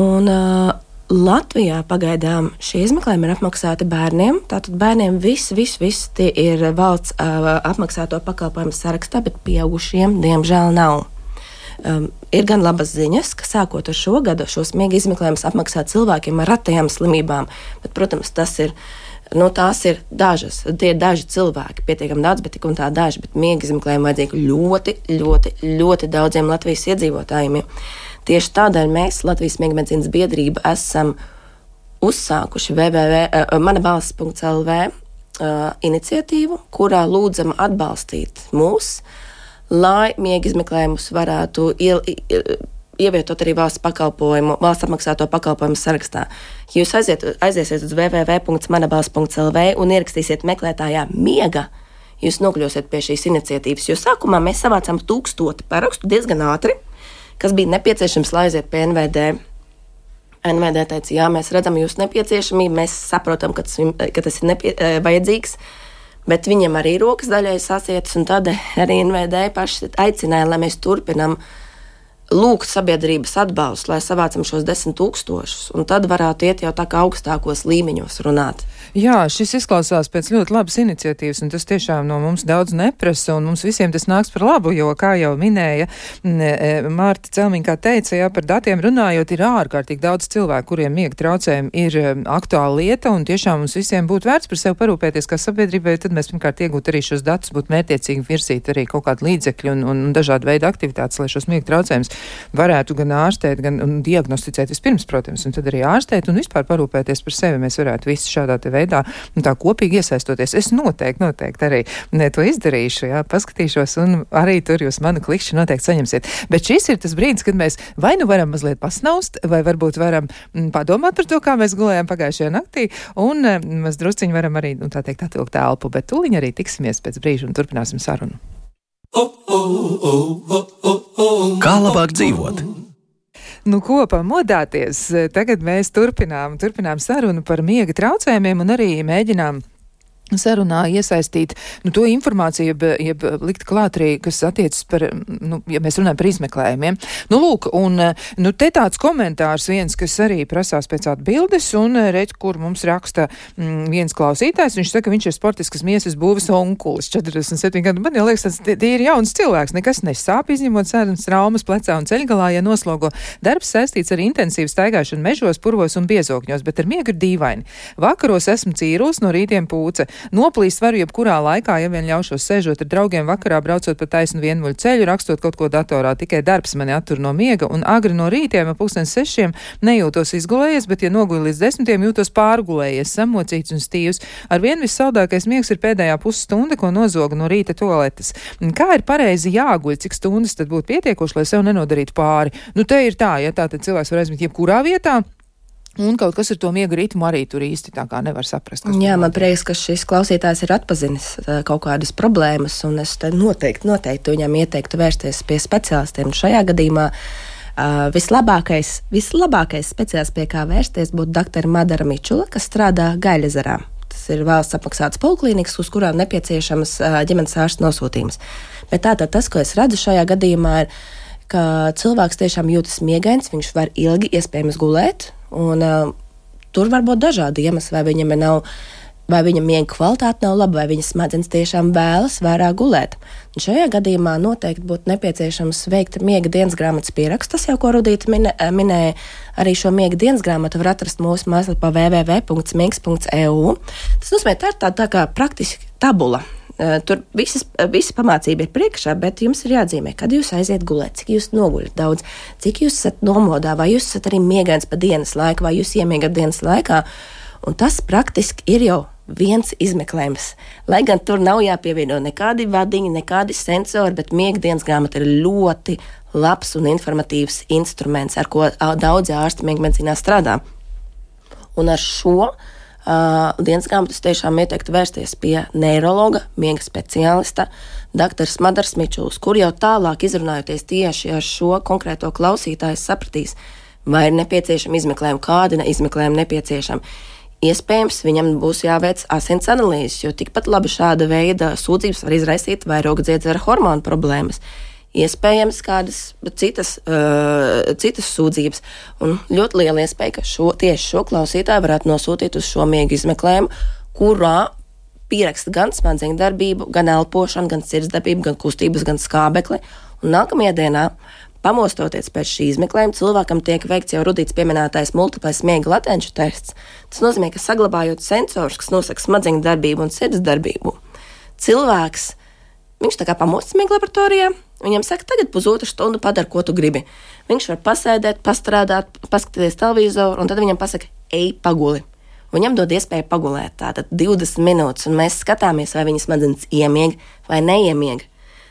Un uh, Latvijā pagaidām šie izmeklējumi ir apmaksāti bērniem, tātad bērniem viss, viss, viss tie ir valsts uh, apmaksāto pakalpojumu sarakstā, bet pieaugušiem diemžēl nav. Um, ir gan labas ziņas, ka sākot ar šo gadu šos miega izmeklējumus apmaksā cilvēkiem ar retajām slimībām, bet, protams, tas ir Nu, tās ir dažas, tie ir daži cilvēki, pietiekami daudz, bet tik un tā daži, bet miega izmeklējumi vajadzīgi ļoti, ļoti, ļoti daudziem Latvijas iedzīvotājiem. Tieši tādēļ mēs, Latvijas miega medicīnas biedrība, esam uzsākuši w w w punkts manabalss punkts l v uh, iniciatīvu, kurā lūdzam atbalstīt mūs, lai miega izmeklējumus varētu iel, ievietot arī valsts pakalpojumu, valsts apmaksāto pakalpojumu sarakstā. Ja jūs aiziet, aiziesiet uz w w w punkts manabalss punkts l v un ierakstīsiet meklētājā miega, jūs nokļūsiet pie šīs iniciatīvas, jo sākumā mēs savācām tūkstoti parakstu diezgan ātri, kas bija nepieciešams, lai aiziet pie N V D. N V D teica, jā, mēs redzam jūsu nepieciešamību, mēs saprotam, ka tas, ka tas ir nepie, vajadzīgs, bet viņam arī rokas daļai sasietas, un tad arī N V D paši aicināja, lai mēs turpinam lūgt sabiedrības atbalstu, lai savācam šos desmit tūkstošus, un tad varētu iet jau tā kā augstākos līmeņos runāt. Jā, šis izklausās pēc ļoti labas iniciatīvas, un tas tiešām no mums daudz neprasa, un mums visiem tas nāks par labu, jo, kā jau minēja Mārta Celmiņa, kā teica, jā, par datiem runājot, ir ārkārtīgi daudz cilvēku, kuriem miega traucējumi ir aktuāla lieta, un tiešām mums visiem būtu vērts par sevi parūpēties kā sabiedrībai, tad mēs pirmkārt iegūt arī šos datus, būtu mērķiecīgi virzīt arī kaut kādu līdzekļu un, un dažādu veidu aktivitātes, lai šos miega traucējumus varētu gan ārstēt, gan un diagnosticēt vispirms, protams, un tad arī ārstēt un vispār parūpēties par sevi. Mēs varētu visi šādā te veidā un tā kopīgi iesaistoties. Es noteikti, noteikti arī ne, to izdarīšu, jā, paskatīšos un arī tur jūs manu klikšķi noteikti saņemsiet. Bet šis ir tas brīdis, kad mēs vai nu varam mazliet pasnaust, vai varbūt varam m, padomāt par to, kā mēs gulējām pagājušajā naktī, un m, mēs drusciņi varam arī, nu, tā teikt, atvilkt elpu, bet tūliņ arī tiksimies pēc brīža un turpināsim sarunu. Kā labāk dzīvot? Nu, ko pamodāties? Tagad mēs turpinām, turpinām sarunu par miega traucējumiem un arī mēģinām sarunā iesaistīt nu, to informāciju, jeb, jeb likt klāt arī, kas attiecas par, nu, ja mēs runājam par izmeklējumiem. Nu, lūk, un nu, te tāds komentārs viens, kas arī prasās pēc atbildes, un redz, kur mums raksta mm, viens klausītājs, viņš saka, ka viņš ir sportiskas miesas būves onkulis, četrdesmit septiņi gadu. Man jau liekas, tas tie, tie ir jauns cilvēks, nekas nesāp, izņemot sēdams traumas plecā un ceļgalā, ja noslogo. Darbs saistīts ar intensīvu staigāšanu mežos, purvos un biezokņos, bet ar miegu ir dīvaini. Vakaros esmu cīruls, no rītiem pūce. Noplīst varu jebkurā laikā, ja vien ļaušos sēžot ar draugiem vakarā, braucot pa taisnu vienmuļu ceļu, rakstot kaut ko datorā. Tikai darbs mani attur no miega, un agri no rītiem, ap pulkstens sešiem, nejūtos izgulējies, bet, ja noguļu līdz desmitiem, jūtos pārgulējies, samocīts un stīvs. Ar vien vissaldākais miegs ir pēdējā pusstunda, ko nozoga no rīta toaletes. Kā ir pareizi jāguļ, cik stundas tad būtu pietiekoši, lai sev nenodarītu pāri? Nu, te ir tā, ja tā tad cilvēks var aizmigt jebkurā vietā. Un kaut kas ar to miega ritmu arī tur īsti tā kā nevar saprast. Jā, man prieks, ka šis klausītājs ir atpazinis kaut kādas problēmas, un es noteikti, noteikti viņam ieteiktu vērsties pie speciālistiem. Šajā gadījumā uh, vislabākais, vislabākais speciālists, pie kā vērsties, būtu doktora Madara Mičula, kas strādā Gaļezerā. Tas ir valsts apmaksāts poliklīnikas, uz kurām nepieciešams uh, ģimenes ārsta nosūtījums. Bet tātad tas, ko es redzu šajā gadījumā, ir, ka cilvēks tiešām jūtas miegains, viņš var ilgi iespējams gulēt, un uh, tur var būt dažādi iemesli, vai viņam nav, vai viņa miega kvalitāte nav laba, vai viņa smadzenes tiešām vēlas vairāk gulēt. Un šajā gadījumā noteikti būtu nepieciešams veikt miega dienas grāmatas pierakstu. Tas jau, ko Rudīta minē, minēja, arī šo miega dienas grāmatu var atrast mūsu mājaslapā w w w punkts miegs punkts e u. Tas nozīmē, tā ir tā, tā kā praktiski tabula. Tur visas, visa pamācība ir priekšā, bet jums ir jāatzīmē, kad jūs aiziet gulēt, cik jūs noguļat daudz, cik jūs esat nomodā, vai jūs esat arī miegains pa dienas laiku, vai jūs iemiegat dienas laikā. Un tas praktiski ir jau viens izmeklējums. Lai gan tur nav jāpievieno nekādi vadiņi, nekādi sensori, bet miega dienas grāmata ir ļoti labs un informatīvs instruments, ar ko daudzi ārsti miega medicīnā strādā. Un ar šo Uh, dienas grāmatas tiešām ieteiktu vērsties pie neirologa, miega speciālista, doktors Madars Mičuls, kur jau tālāk izrunājoties tieši ar šo konkrēto klausītāju sapratīs, vai ir nepieciešama izmeklējuma, kādi izmeklējumi nepieciešami. Iespējams, viņam būs jāveic asins analīzes, jo tikpat labi šāda veida sūdzības var izraisīt vairogdziedzera hormonu problēmas. Iespējams, kādas citas, uh, citas sūdzības. Un ļoti liela iespēja, ka šo, tieši šo klausītāju varētu nosūtīt uz šo miega izmeklējumu, kurā pieraksta gan smadzeņu darbību, gan elpošanu, gan sirdsdarbību, gan kustības, gan skābekli. Un nākamajā dienā, pamostoties pēc šī izmeklējuma, cilvēkam tiek veikts jau Rudīts pieminētais multiplais miega latenču tests. Tas nozīmē, ka saglabājot sensors, kas nosaka smadzeņu darbību un sirdsdarbību, cilvēks, viņš tā kā pamostas miega laboratorijā, viņam saka, tagad pusotru stundu padara, ko tu gribi. Viņš var pasēdēt, pastrādāt, paskatīties televizoru, un tad viņam pasaka, ej paguli. Viņam dod iespēju pagulēt tātad divdesmit minūtes, un mēs skatāmies, vai viņa smadzenes iemieg vai neiemieg.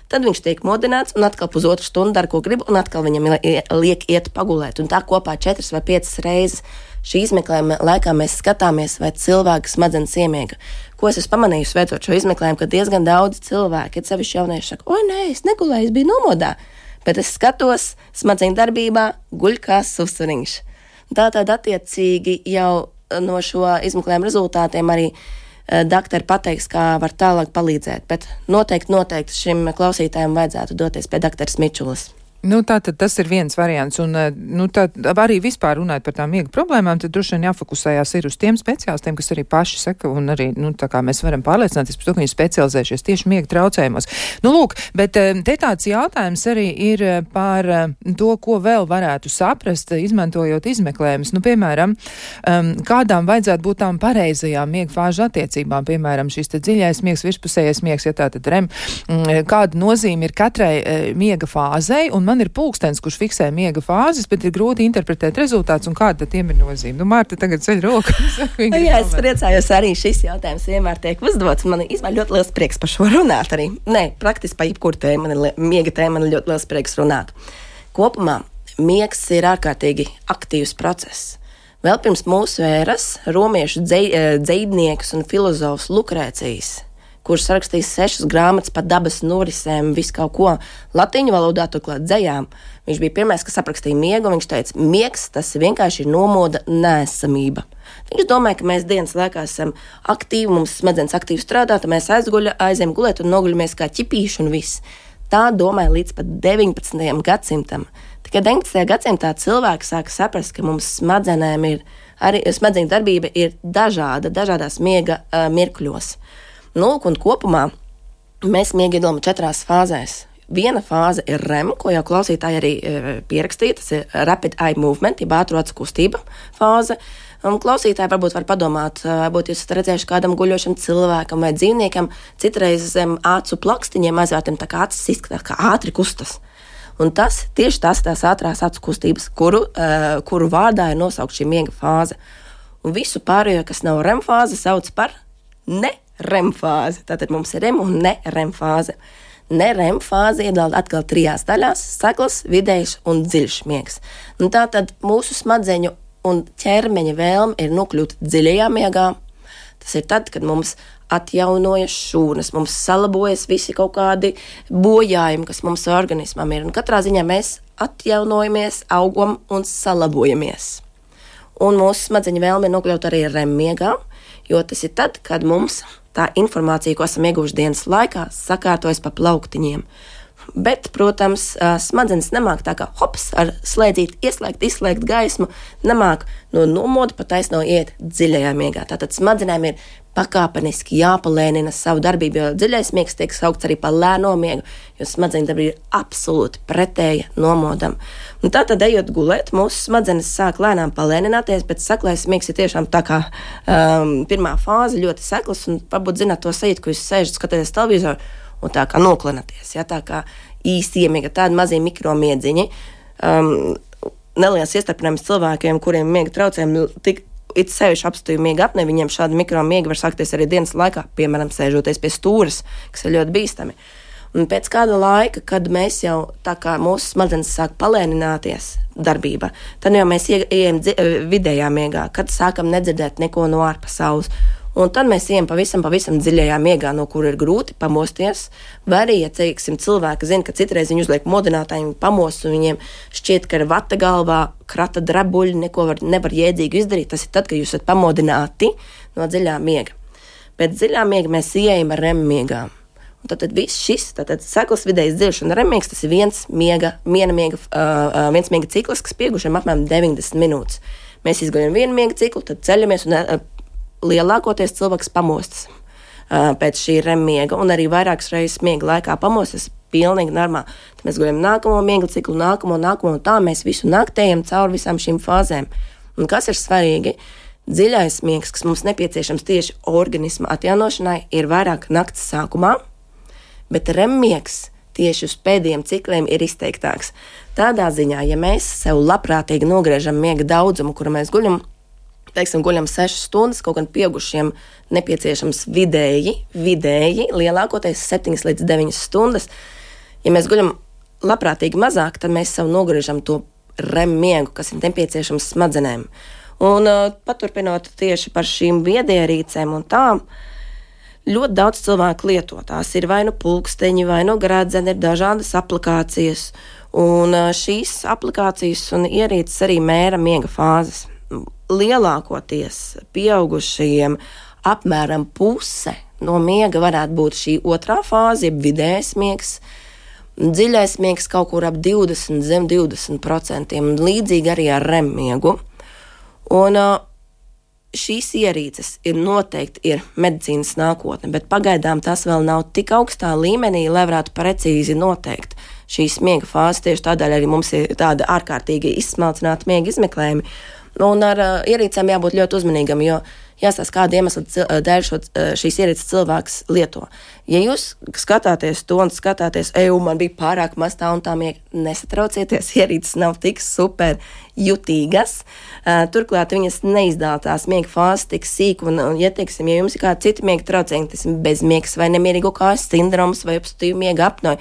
Tad viņš tiek modināts, un atkal pusotru stundu dara, ko grib, un atkal viņam liek iet pagulēt. Un tā kopā četras vai piecas reizes šī izmeklējuma laikā mēs skatāmies, vai cilvēka smadzenes iemiega. Ko es esmu pamanījusi, veicot šo izmeklējumu, ka diezgan daudz cilvēki, ir sevišķi jaunieši, saka, oi, nē, es negulēju, es biju nomodā, bet es skatos smadzeņu darbībā, guļ kā susuriņš. Tātad attiecīgi jau no šo izmeklējumu rezultātiem arī uh, doktori pateiks, kā var tālāk palīdzēt, bet noteikti, noteikti šim klausītājiem vajadzētu doties pie doktoras Mičulas. Nu, tā tad tas ir viens variants, un nu, tā, arī vispār runājot par tām miega problēmām, tad droši vien jāfokusējās ir uz tiem speciālistiem, kas arī paši saka, un arī, nu, tā kā mēs varam pārliecināties par to, ka viņi specializējušies tieši miega traucējumos. Nu, lūk, bet te tāds jautājums arī ir par to, ko vēl varētu saprast, izmantojot izmeklējumus. Nu, piemēram, kādām vajadzētu būt tām pareizajām miega fāžu attiecībām, piemēram, šis te dziļais miegs, virspusējais miegs, ja tā tad rem, kāda nozīme ir katrai miega fāzei, un man ir pulkstens, kurš fiksē miega fāzes, bet ir grūti interpretēt rezultātus, un kāda tad tiem ir nozīme. Nu, Mārta tagad ceļ roku. Jā, es priecājos, arī šis jautājums vienmēr tiek uzdots. Man ir ļoti liels prieks par šo runāt arī. Nē, praktiski pa jebkuru tēmu, man ir miega tēma, man ir ļoti liels prieks runāt. Kopumā miegs ir ārkārtīgi aktīvs process. Vēl pirms mūsu ēras romiešu dzei, dzeidnieks un filozofs Lukrēcijs, kurš rakstījis sešas grāmatas par dabas norisēm, visu kaut ko latīņu valodā, turklāt dzejām. Viņš bija pirmais, kas aprakstīja miegu, un viņš teica, miegs tas vienkārši ir nomoda neesamība. Viņš domāja, ka mēs dienas laikā esam aktīvi, mums smadzenes aktīvi strādā, tad mēs aizguļa, aizējam gulēt un noguļamies kā ķipīši un viss. Tā domāja līdz pat deviņpadsmitajam gadsimtam. Tikai deviņpadsmitajā gadsimtā cilvēki sāka saprast, ka mums smadzenēm ir, arī smadzeņu darbība ir dažāda, dažādās miega uh, mirkļos. Nu, un kopumā mēs miegu iedalām četrās fāzēs. Viena fāze ir R E M, ko jau klausītāji arī uh, pierakstīja, tas ir Rapid Eye Movement, jeb ātru acu kustība fāze. Un klausītāji varbūt var padomāt, varbūt jūs esat redzējuši kādam guļošam cilvēkam vai dzīvniekam, citreiz zem acu plakstiņiem aizvērtiem tā kā acis izskatās, kā ātri kustas. Un tas tieši tās tās ātrās acu kustības, kuru, uh, kuru vārdā ir nosaukt šī miega fāze. Un visu pārējo, kas nav R E M fāze, sauc par ne R E M fāzi. Tātad mums ir R E M un ne R E M fāze. Ne R E M fāze iedala atkal trijās daļās – saklas, vidējs un dziļš miegs. Un tātad mūsu smadzeņu un ķermeņa vēlme ir nokļūt dziļajā miegā. Tas ir tad, kad mums atjaunojas šūnas, mums salabojas visi kaut kādi bojājumi, kas mums organismam ir. Un katrā ziņā mēs atjaunojamies, augam un salabojamies. Un mūsu smadzeņa vēlme ir nokļūt arī R E M miegā, jo tas ir tad, kad mums tā informācija, ko esam ieguvuši dienas laikā, sakārtojas pa plauktiņiem. Bet, protams, smadzenes nemāk tā kā hops ar slēdzīt, ieslēgt, izslēgt gaismu, nemāk no nomoda pa taisno iet dziļajā miegā. Tātad smadzenēm ir pakāpeniski jāpalēnina savu darbību, jo dziļais miegs tiek saukts arī par lēno miegu, jo smadzeņu darbība ir absolūti pretēja nomodam. Un tātad, ejot gulēt, mūsu smadzenes sāk lēnām palēnināties, bet saklais miegs ir tiešām tā kā um, pirmā fāze, ļoti seklas, un varbūt zināt to sajūtu, ka jūs sēžat, skatāties televizoru, un tā kā noklinaties, ja, tā kā īsti iemiega, tādi mazie mikromiedziņi. Um, neliels iestarpinājums cilvēkiem, kuriem miega traucējumi, tik it sevišķi apstāju miega apnē, viņiem šādi mikromiegi var sākties arī dienas laikā, piemēram, sēžoties pie stūras, kas ir ļoti bīstami. Un pēc kāda laika, kad mēs jau tā kā mūsu smadzenes sāk palēnināties darbībā, tad jau mēs ieejam vidējā miegā, kad sākam nedzirdēt neko no ārpasaules. Un tad mēs ejam pavisam, pavisam dziļajā miegā, no kura ir grūti pamosties. Vai arī, ja teiksim, cilvēki zina, ka citreiz viņi uzliek modinātāji, viņi pamos, un viņiem šķiet, ka ir vata galvā, krata drabuļi, neko var, nevar jēdzīgu izdarīt. Tas ir tad, kad jūs esat pamodināti no dziļā miega. Pēc dziļā miega mēs ejam ar R E M miegā. Un tad, tad viss šis, tātad saklas vidējs dziļš un R E M miegs, tas ir viens miega, viena miega, uh, viens miega cikls, kas piegušiem apmēram deviņdesmit minūtes. Mēs izguļam vienu miega ciklu, tad ceļamies un uh, lielākoties cilvēks pamostas uh, pēc šī R E M miega, un arī vairākas reizes miega laikā pamostas pilnīgi normāli. Tad mēs guļam nākamo miega ciklu, nākamo, nākamo, un tā mēs visu naktējam cauri visām šīm fāzēm. Un kas ir svarīgi? Dziļais miegs, kas mums nepieciešams tieši organisma atjaunošanai, ir vairāk nakts sākumā, bet R E M miegs tieši uz pēdējiem cikliem ir izteiktāks. Tādā ziņā, ja mēs sev labprātīgi nogriežam miega daudzumu, kuru mēs guļam, teiksim, guļam sešas stundas, kaut gan pieaugušiem nepieciešams vidēji, vidēji, lielākoties septiņas līdz deviņas stundas. Ja mēs guļam labprātīgi mazāk, tad mēs sev nogriežam to R E M miegu, kas ir nepieciešams smadzenēm. Un uh, paturpinot tieši par šīm viedierīcēm un tām, ļoti daudz cilvēku lieto. Tās ir vai nu pulksteņi, vai nu gradzeni, ir dažādas aplikācijas. Un uh, šīs aplikācijas un ierīces arī mēra miega fāzes. Lielākoties pieaugušajiem apmēram puse no miega varētu būt šī otrā fāze, jeb vidējais miegs. Dziļais miegs kaut kur ap divdesmit, zem divdesmit procentiem, un līdzīgi arī ar R E M miegu. Un šīs ierīces ir noteikti ir medicīnas nākotne, bet pagaidām tas vēl nav tik augstā līmenī, lai varētu precīzi noteikt šīs miega fāzes. Tieši tādēļ arī mums ir tāda ārkārtīgi izsmalcināta miega izmeklējumi. Un ar uh, ierīcēm jābūt ļoti uzmanīgam, jo jāstāsta, kāda iemesla dēļ šo, šīs ierīces cilvēks lieto. Ja jūs skatāties to un skatāties, eju, man bija pārāk maz tā un tā miega, nesatraucieties, ierīces nav tik super jutīgas. Uh, turklāt viņas neizdala tās miega fāzes tik sīk, un, un ja, teiksim, ja jums ir kādi citi miega traucējumi, tas ir bezmiegs vai nemierīgo kājas sindroms vai obstruktīva miega apnoja,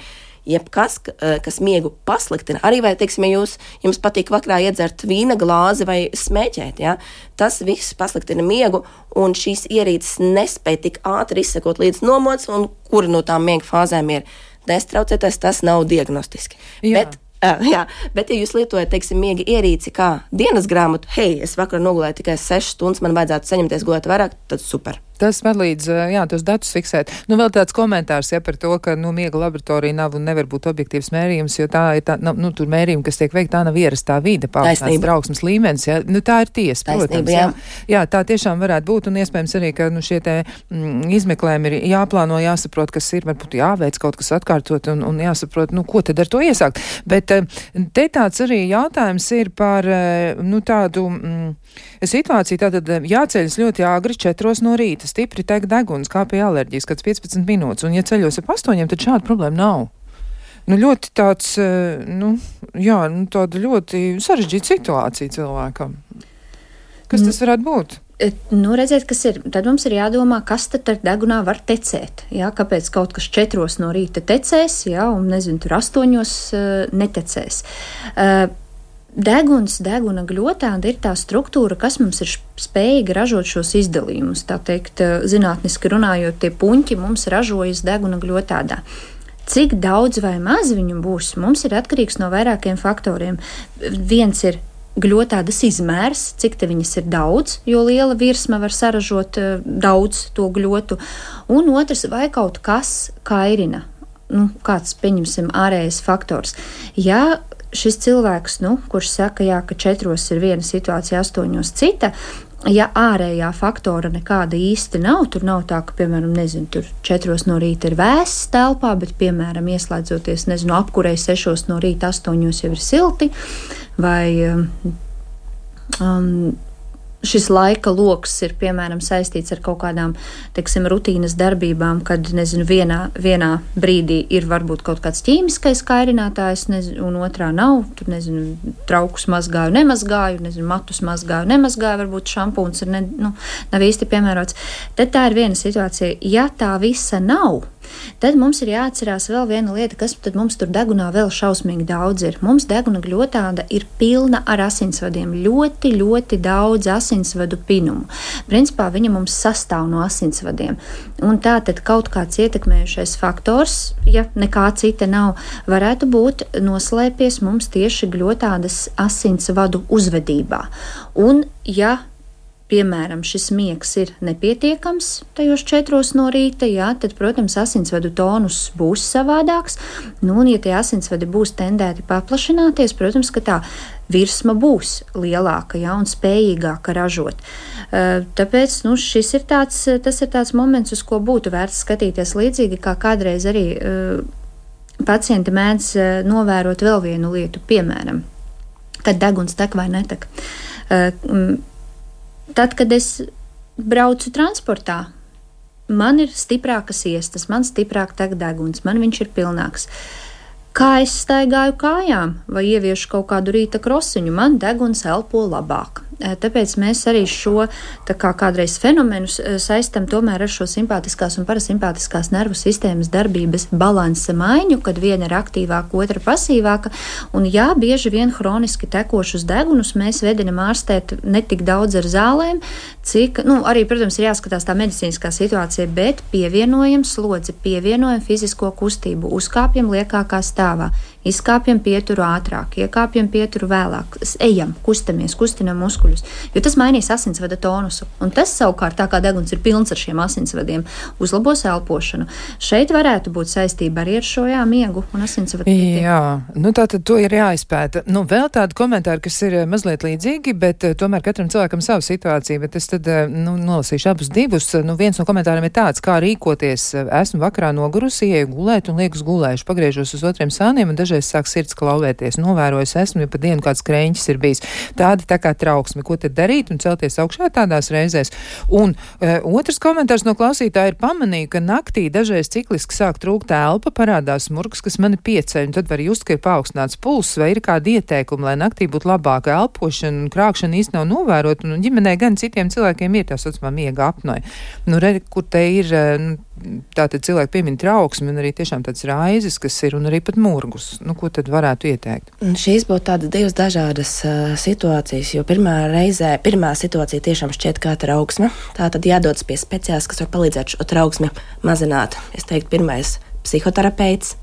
jebkas, kas miegu pasliktina. Arī vai, teiksim, ja jūs, jums patīk vakarā iedzert vīna glāzi vai smēķēt, ja? Tas viss pasliktina miegu, un šīs ierīces nespēja tik ātri izsekot līdz nomods, un kura no tām miega fāzēm ir nestraucēties, tas nav diagnostiski. Jā. Bet, jā, bet ja jūs lietojat, teiksim, miega ierīci kā dienas grāmatu, hei, es vakarā nogulēju tikai sešas stundas, man vajadzētu saņemties gulēt vairāk, tad super. Tas palīdz, jā, tos datus fiksēt. Nu, vēl tāds komentārs, ja, par to, ka, nu, miega laboratorija nav un nevar būt objektīvs mērījums, jo tā ir tā, nu, tur mērījumi, kas tiek veikti, tā nav ierastā vide, paaugstināts trauksmes līmenis, ja. Nu, tā ir tiesa, protams. Taisnība, jā. Jā. jā, tā tiešām varētu būt, un iespējams arī, ka, nu, šie te mm, izmeklējumi ir jāplāno, jāsaprot, kas ir, varbūt jāveic kaut kas atkārtot, un, un jāsaprot, nu, ko tad ar to iesākt. Bet te tāds arī jautājums ir par, nu, tādu mm, situāciju, tātad jāceļas ļoti āgri četros no rīta. Stipri tek deguns, kā pie alerģijas, kāds piecpadsmit minūtes, un ja ceļos ap astoņiem, tad šāda problēma nav. Nu, ļoti tāds, nu, jā, nu, tāda ļoti sarežģīta situācija cilvēkam. Kas tas varētu būt? Nu, redziet, kas ir. Tad mums ir jādomā, kas tad ar degunā var tecēt. Jā, kāpēc kaut kas četros no rīta tecēs, jā, un nezinu, tur astoņos uh, netecēs. Uh, Deguns, deguna gļotāda ir tā struktūra, kas mums ir spējīga ražot šos izdalījumus. Tā teikt, zinātniski runājot, tie puņķi mums ražojas deguna gļotādā. Cik daudz vai maz viņu būs, mums ir atkarīgs no vairākiem faktoriem. Viens ir gļotādas izmērs, cik te viņas ir daudz, jo liela virsma var saražot daudz to gļotu. Un otrs, vai kaut kas kairina, nu, kāds, pieņemsim, ārējais faktors. Ja šis cilvēks, nu, kurš saka, jā, ka četros ir viena situācija, astoņos cita, ja ārējā faktora nekāda īsti nav, tur nav tā, ka, piemēram, nezinu, tur četros no rīta ir vēss telpā, bet, piemēram, ieslēdzoties, nezinu, apkurei sešos no rīta, astoņos jau ir silti, vai um, šis laika loks ir, piemēram, saistīts ar kaut kādām, teiksim, rutīnas darbībām, kad, nezinu, vienā, vienā brīdī ir varbūt kaut kāds ķīmiskais kairinātājs, nezinu, un otrā nav, tur, nezinu, traukus mazgāju, nemazgāju, nezinu, matus mazgāju, nemazgāju, varbūt šampūns ir, ne, nu, nav īsti piemērots. Tad tā ir viena situācija. Ja tā visa nav, tad mums ir jāatcerās vēl viena lieta, kas tad mums tur degunā vēl šausmīgi daudz ir. Mums deguna gļotāda ir pilna ar asinsvadiem, ļoti, ļoti daudz asinsvadu pinumu. Principā viņa mums sastāv no asinsvadiem. Un tā tad kaut kāds ietekmējušais faktors, ja nekā cita nav, varētu būt noslēpies mums tieši gļotādas asinsvadu uzvedībā. Un ja piemēram, šis miegs ir nepietiekams tajos četros no rīta, jā, tad, protams, asinsvadu tonus būs savādāks, nu, un ja tie asinsvadi būs tendēti paplašināties, protams, ka tā virsma būs lielāka, jā, un spējīgāka ražot. Tāpēc, nu, šis ir tāds, tas ir tāds moments, uz ko būtu vērts skatīties līdzīgi, kā kādreiz arī pacienti mēdz novērot vēl vienu lietu, piemēram, kad deguns tek vai netek. Tad, kad es braucu transportā, man ir stiprākas iestas, man stiprāk tek deguns, man viņš ir pilnāks. Kā es staigāju kājām vai ieviešu kaut kādu rīta krosiņu, man deguns elpo labāk. Tāpēc mēs arī šo, tā kā kādreiz fenomenus, saistam tomēr ar šo simpātiskās un parasimpātiskās nervu sistēmas darbības balansa maiņu, kad viena ir aktīvāka, otra pasīvāka. Un jā, bieži vien hroniski tekošus degunus mēs vedinam ārstēt ne tik daudz ar zālēm, cik, nu, arī, protams, ir jāskatās tā medicīniskā situācija, bet pievienojam slodzi, pievienojam fizisko kustību, uzkāpjam liekākā stāvā, izkāpjam pieturu ātrāk, iekāpjam pieturu vēlāk, ejam, kustamies, kustinam muskuļus, jo tas mainīs asinsvada tonusu. Un tas savukārt, tā kā deguns ir pilns ar šiem asinsvadiem, uzlabos elpošanu. Šeit varētu būt saistība arī ar šo jā, miegu un asinsvadu. Jā, nu tātad to ir jāizpēta. Nu, vēl tādi komentāri, kas ir mazliet līdzīgi, bet tomēr katram cilvēkam savu situāciju, bet es tad, nu, nolasīšu abus divus. Nu, viens no komentāriem ir tāds, kā rīkoties. Esmu vakarā nogurusi, ieju gulēt un lieku uz gulēšu, pagriežos uz otriem sāniem un dažreiz sāk sirds klauvēties. Novērojos esmu, ja pa dienu kāds krēņķis ir bijis. Tāda tā kā trauksme. Ko tad darīt un celties augšā tādās reizēs? Un e, otrs komentārs no klausītāja ir pamanīju, ka naktī dažreiz cikliski sāk trūkt elpa, parādās murgs, kas mani pieceļ, un tad var just, ka ir paaugstināts pulss, vai ir kādi ieteikumi, lai naktī būtu labāka elpošana un krākšana īsti nav novērot, un ģimenē gan citiem cilvēkiem ir tā saucamā miega apnoja. Nu, re, kur te ir, nu, tātad cilvēki piemin trauksmi un arī tiešām tāds raizes, kas ir, un arī pat murgus. Nu, ko tad varētu ieteikt? Un šīs būtu tādas divas dažādas uh, situācijas, jo pirmā reizē, pirmā situācija tiešām šķiet kā trauksme. Tā tad jādodas pie speciālista, kas var palīdzēt šo trauksmi mazināt. Es teiktu, pirmais psihoterapeits.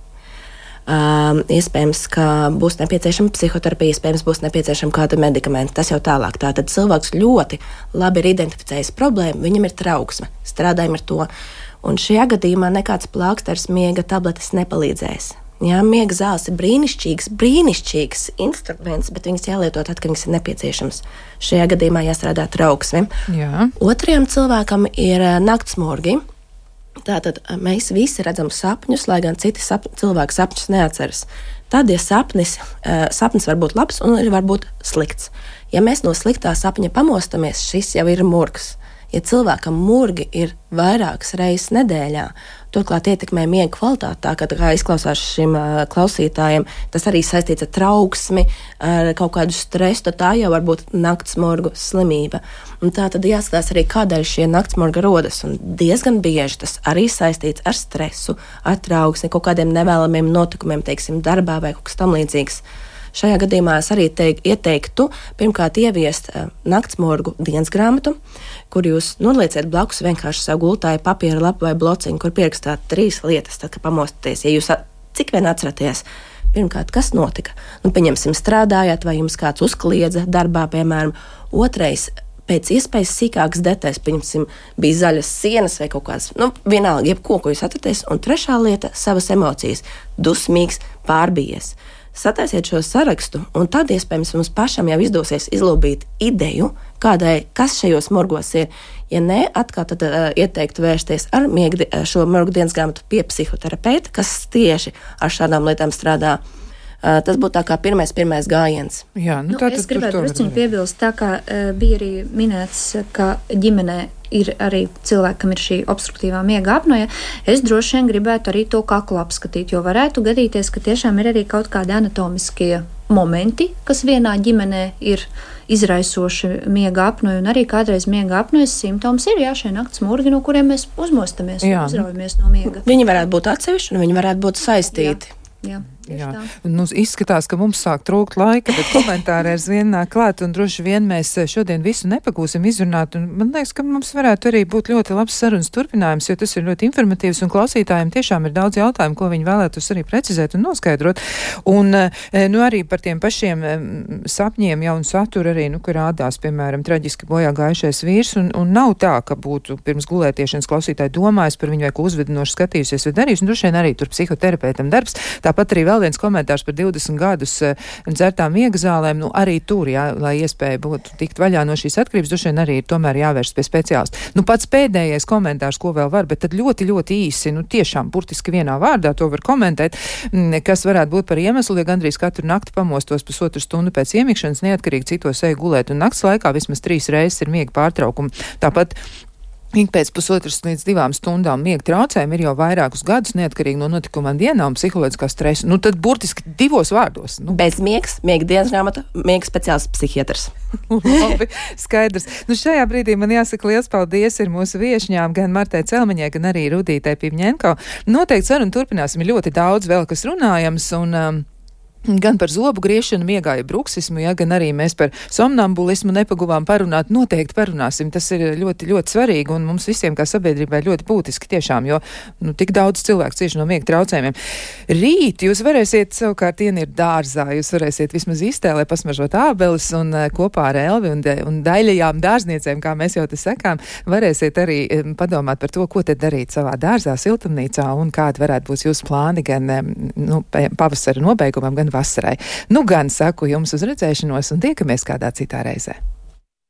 Um, iespējams, ka būs nepieciešama psihoterapija, iespējams, būs nepieciešama kāda medikamenta. Tas jau tālāk. Tātad cilvēks ļoti labi ir identificējis problēmu, viņam ir trauksme. Strādājam ar to. Un šajā gadījumā nekāds plāksters, miega tabletes nepalīdzēs. Jā, miega zāles ir brīnišķīgs, brīnišķīgs instruments, bet viņas jālieto tad, kad viņas ir nepieciešams. Šajā gadījumā jāstrādā trauksme. Jā. Otrajam cilvēkam ir naktsmurgi. Tātad mēs visi redzam sapņus, lai gan citi sap, cilvēki sapņus neatceras. Tad, ja sapnis, sapnis var būt labs un var būt slikts. Ja mēs no sliktā sapņa pamostamies, šis jau ir murgs. Ja cilvēkam murgi ir vairākas reizes nedēļā, turklāt ietekmē miega kvalitāti, tā kā, kā izklausās šim uh, klausītājiem, tas arī saistīts ar trauksmi, ar kaut kādu stresu, tā jau var būt naktsmurgu slimība. Un tā tad jāskatās arī, kādēļ šie naktsmurgi rodas, un diezgan bieži tas arī saistīts ar stresu, ar trauksmi, kaut kādiem nevēlamiem notikumiem, teiksim, darbā vai kaut kas tam līdzīgs. Šajā gadījumā es arī teik, ieteiktu pirmkārt ieviest uh, naktsmurgu dienas grāmatu, kur jūs nolieciet blakus vienkārši savu gultāju papīra lapu vai blociņu, kur pierakstāt trīs lietas, tad, kad pamostaties. Ja jūs cik vien atceraties, pirmkārt, kas notika? Nu, pieņemsim, strādājāt vai jums kāds uzkliedza darbā, piemēram. Otrais, pēc iespējas sīkākas detaļas, pieņemsim, bija zaļas sienas vai kaut kāds, nu, vienalga, jebko, ko jūs atceraties. Un trešā lieta, savas emocijas, dusmīgs, pārbijies. Sataisiet šo sarakstu, un tad iespējams mums pašam jau izdosies izlūbīt ideju, kādai, kas šajos murgos ir. Ja nē, atkal tad uh, ieteiktu vērsties ar miega, šo murgu dienas grāmatu pie psihoterapeita, kas tieši ar šādām lietām strādā. Uh, tas būtu tā kā pirmais, pirmais gājiens. Jā, nu, nu, tā, es gribētu drusciņu piebilst, tā kā uh, bija arī minēts, ka ģimenē ir arī cilvēki, kam ir šī obstruktīvā miega apnoja. Es droši vien gribētu arī to kaklu apskatīt, jo varētu gadīties, ka tiešām ir arī kaut kādi anatomiskie momenti, kas vienā ģimenē ir izraisoši miega apnoju, un arī kādreiz miega apnojas simptoms ir, jā, šie nakts murgi, no kuriem mēs uzmostamies un uzraujamies no miega. Viņi varētu būt atsevišķi, un viņi varētu būt saistīti. Jā. Jā. Jā, nu, izskatās, ka mums sāk trūkt laika, bet komentāri aizvien nāk klāt, un droši vien mēs šodien visu nepagūsim izrunāt, un man liekas, ka mums varētu arī būt ļoti labs sarunas turpinājums, jo tas ir ļoti informatīvs, un klausītājiem tiešām ir daudz jautājumu, ko viņi vēlētos arī precizēt un noskaidrot, un nu, arī par tiem pašiem sapņiem jau un saturu arī, nu, kur rādās, piemēram, traģiski bojā gājušais vīrs, un, un nav tā, ka būtu pirms gulētiešanas klausītāji domājis par viņu vai ko uzvedinoši skatījusies vai darījis, un droši vien arī tur psihoterapeitam darbs, tāpat arī vēl viens komentārs par divdesmit gadus dzertām miega zālēm, nu arī tur, jā, lai iespēja būtu tikt vaļā no šīs atkarības, droši vien arī ir tomēr jāvērst pie speciālista. Nu pats pēdējais komentārs, ko vēl var, bet tad ļoti, ļoti īsi, nu tiešām burtiski vienā vārdā to var komentēt, kas varētu būt par iemeslu, ja gandrīz katru nakti pamostos pusotru stundu pēc iemikšanas, neatkarīgi citos eju gulēt, un nakts laikā vismaz trīs reizes ir miega pārtraukumi. Tāpat ik pēc pusotras līdz divām stundām miega traucējumi ir jau vairākus gadus, neatkarīgi no notikumiem dienā un psiholoģiskā stresa. Nu, tad burtiski divos vārdos. Nu. Bez miegs, miega dienas grāmata, miega speciālists psihiatrs. Labi, skaidrs. Nu, šajā brīdī man jāsaka liels paldies ir mūsu viešņām, gan Martai Celmiņai, gan arī Rudītai Pivņenko. Noteikti sarunu turpināsim ļoti daudz vēl, kas runājams, un um, gan par zobu griešanu, miegā, ja bruksismu, ja, gan arī mēs par somnambulismu nepaguvām parunāt, noteikti parunāsim. Tas ir ļoti, ļoti svarīgi un mums visiem kā sabiedrībai ļoti būtiski tiešām, jo nu, tik daudz cilvēku cieši no miega traucējumiem. Rīt jūs varēsiet savukārt ienirt dārzā, jūs varēsiet vismaz iztēlē pasmažot ābeles un kopā ar Elvi un, un daļajām dārzniecēm, kā mēs jau te sakām, varēsiet arī padomāt par to, ko te darīt savā dārzā, siltumnīcā un kādi varētu būt jūsu plāni gan nu, pavasara nobeigumam, gan vasarai. Nu gan saku jums uz redzēšanos un tiekamies kādā citā reizē.